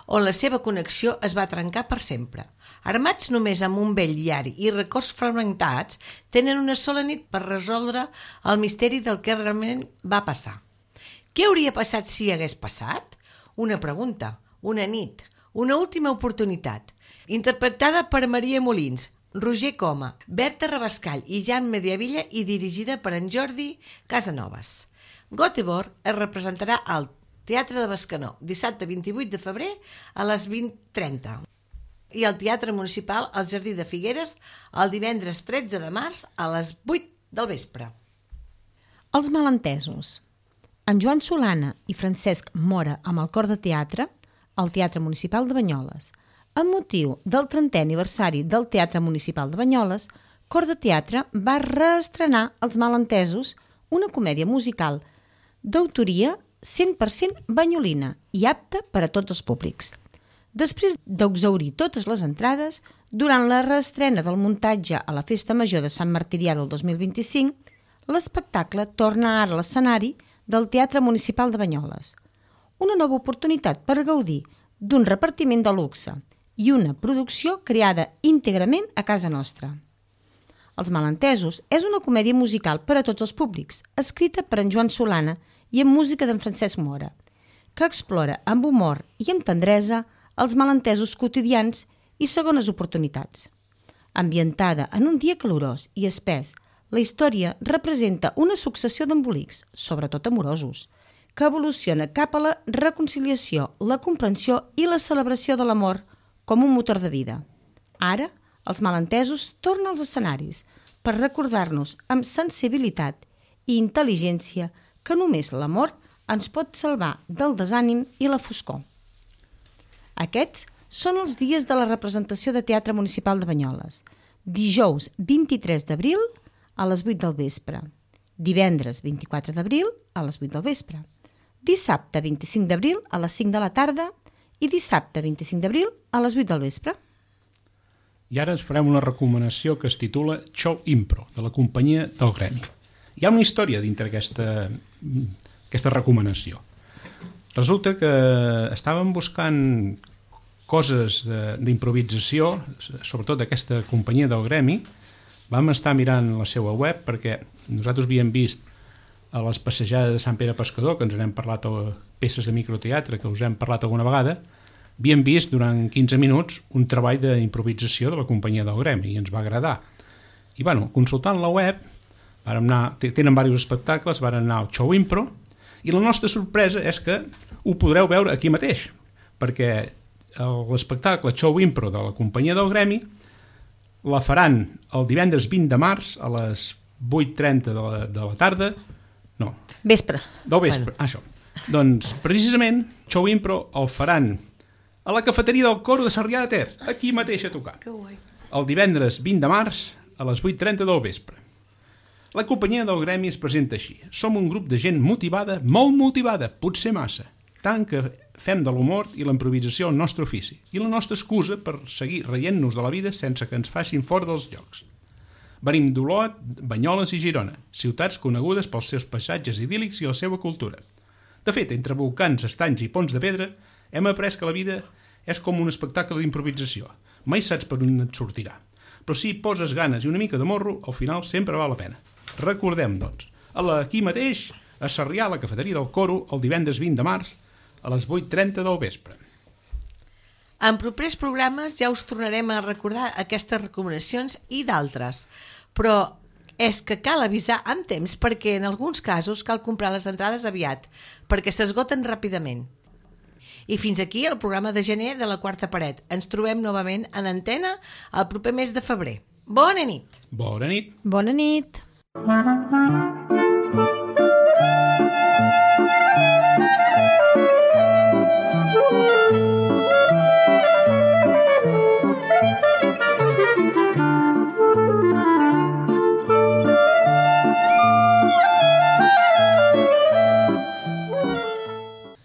on la seva connexió es va trencar per sempre. Armats només amb un vell diari i records fragmentats, tenen una sola nit per resoldre el misteri del que realment va passar. Què hauria passat si hagués passat? Una pregunta, una nit, una última oportunitat. Interpretada per Maria Molins, Roger Coma, Berta Rabascall i Jan Mediavilla i dirigida per en Jordi Casanovas. Gothenburg es representarà al Teatre de Bescanó dissabte 28 de febrer a les 20:30 i al Teatre Municipal al Jardí de Figueres el divendres 13 de març a les 8 del vespre. Els malentesos. En Joan Solana i Francesc Mora amb el cor de teatre al Teatre Municipal de Banyoles. Amb motiu del 30è aniversari del Teatre Municipal de Banyoles, Cor de Teatre va reestrenar Els Malentesos, una comèdia musical d'autoria 100% banyolina i apta per a tots els públics. Després d'exhaurir totes les entrades, durant la reestrena del muntatge a la Festa Major de Sant Martirià del 2025, l'espectacle torna ara a l'escenari del Teatre Municipal de Banyoles. Una nova oportunitat per gaudir d'un repartiment de luxe i una producció creada íntegrament a casa nostra. Els Malentesos és una comèdia musical per a tots els públics, escrita per en Joan Solana i amb música d'en Francesc Mora, que explora amb humor i amb tendresa els malentesos quotidians i segones oportunitats. Ambientada en un dia calorós i espès, la història representa una successió d'embolics, sobretot amorosos, que evoluciona cap a la reconciliació, la comprensió i la celebració de l'amor com un motor de vida. Ara, els malentesos tornen als escenaris per recordar-nos amb sensibilitat i intel·ligència que només l'amor ens pot salvar del desànim i la foscor. Aquests són els dies de la representació de Teatre Municipal de Banyoles. Dijous 23 d'abril a les 8 del vespre. Divendres 24 d'abril a les 8 del vespre. Dissabte 25 d'abril a les 5 de la tarda i dissabte 25 d'abril a les 8 del vespre. I ara ens farem una recomanació que es titula Show Impro, de la companyia del Gremi. Hi ha una història dintre aquesta recomanació. Resulta que estàvem buscant coses d'improvisació, sobretot d'aquesta companyia del Gremi. Vam estar mirant la seva web perquè nosaltres havíem vist a les passejades de Sant Pere Pescador, que ens n'hem parlat, o peces de microteatre que us hem parlat alguna vegada, havíem vist durant 15 minuts un treball d'improvisació de la companyia del Gremi i ens va agradar. I consultant la web, tenen diversos espectacles, vam anar al Show Impro i la nostra sorpresa és que ho podreu veure aquí mateix, perquè l'espectacle Show Impro de la companyia del Gremi la faran el divendres 20 de març a les 8:30 de la tarda. No. Vespre. Del vespre, això. Doncs, precisament, Show Impro el faran a la cafeteria del Coro de Sarrià de Ter, aquí mateix a tocar. Que guai. El divendres 20 de març a les 8:30 del vespre. La companyia del Gremi es presenta així. Som un grup de gent motivada, molt motivada, potser massa, tant que fem de l'humor i la improvisació el nostre ofici i la nostra excusa per seguir reient-nos de la vida sense que ens facin fora dels llocs. Venim d'Olot, Banyoles i Girona, ciutats conegudes pels seus paisatges idíl·lics i la seva cultura. De fet, entre volcans, estanys i ponts de pedra, hem après que la vida és com un espectacle d'improvisació. Mai saps per on et sortirà. Però si poses ganes i una mica de morro, al final sempre val la pena. Recordem, doncs, aquí mateix, a Sarrià, a la cafeteria del Coro, el divendres 20 de març, a les 8:30 del vespre. En propers programes ja us tornarem a recordar aquestes recomanacions i d'altres, però és que cal avisar amb temps perquè en alguns casos cal comprar les entrades aviat, perquè s'esgoten ràpidament. I fins aquí el programa de gener de La Quarta Paret. Ens trobem novament en antena el proper mes de febrer. Bona nit! Bona nit! Bona nit!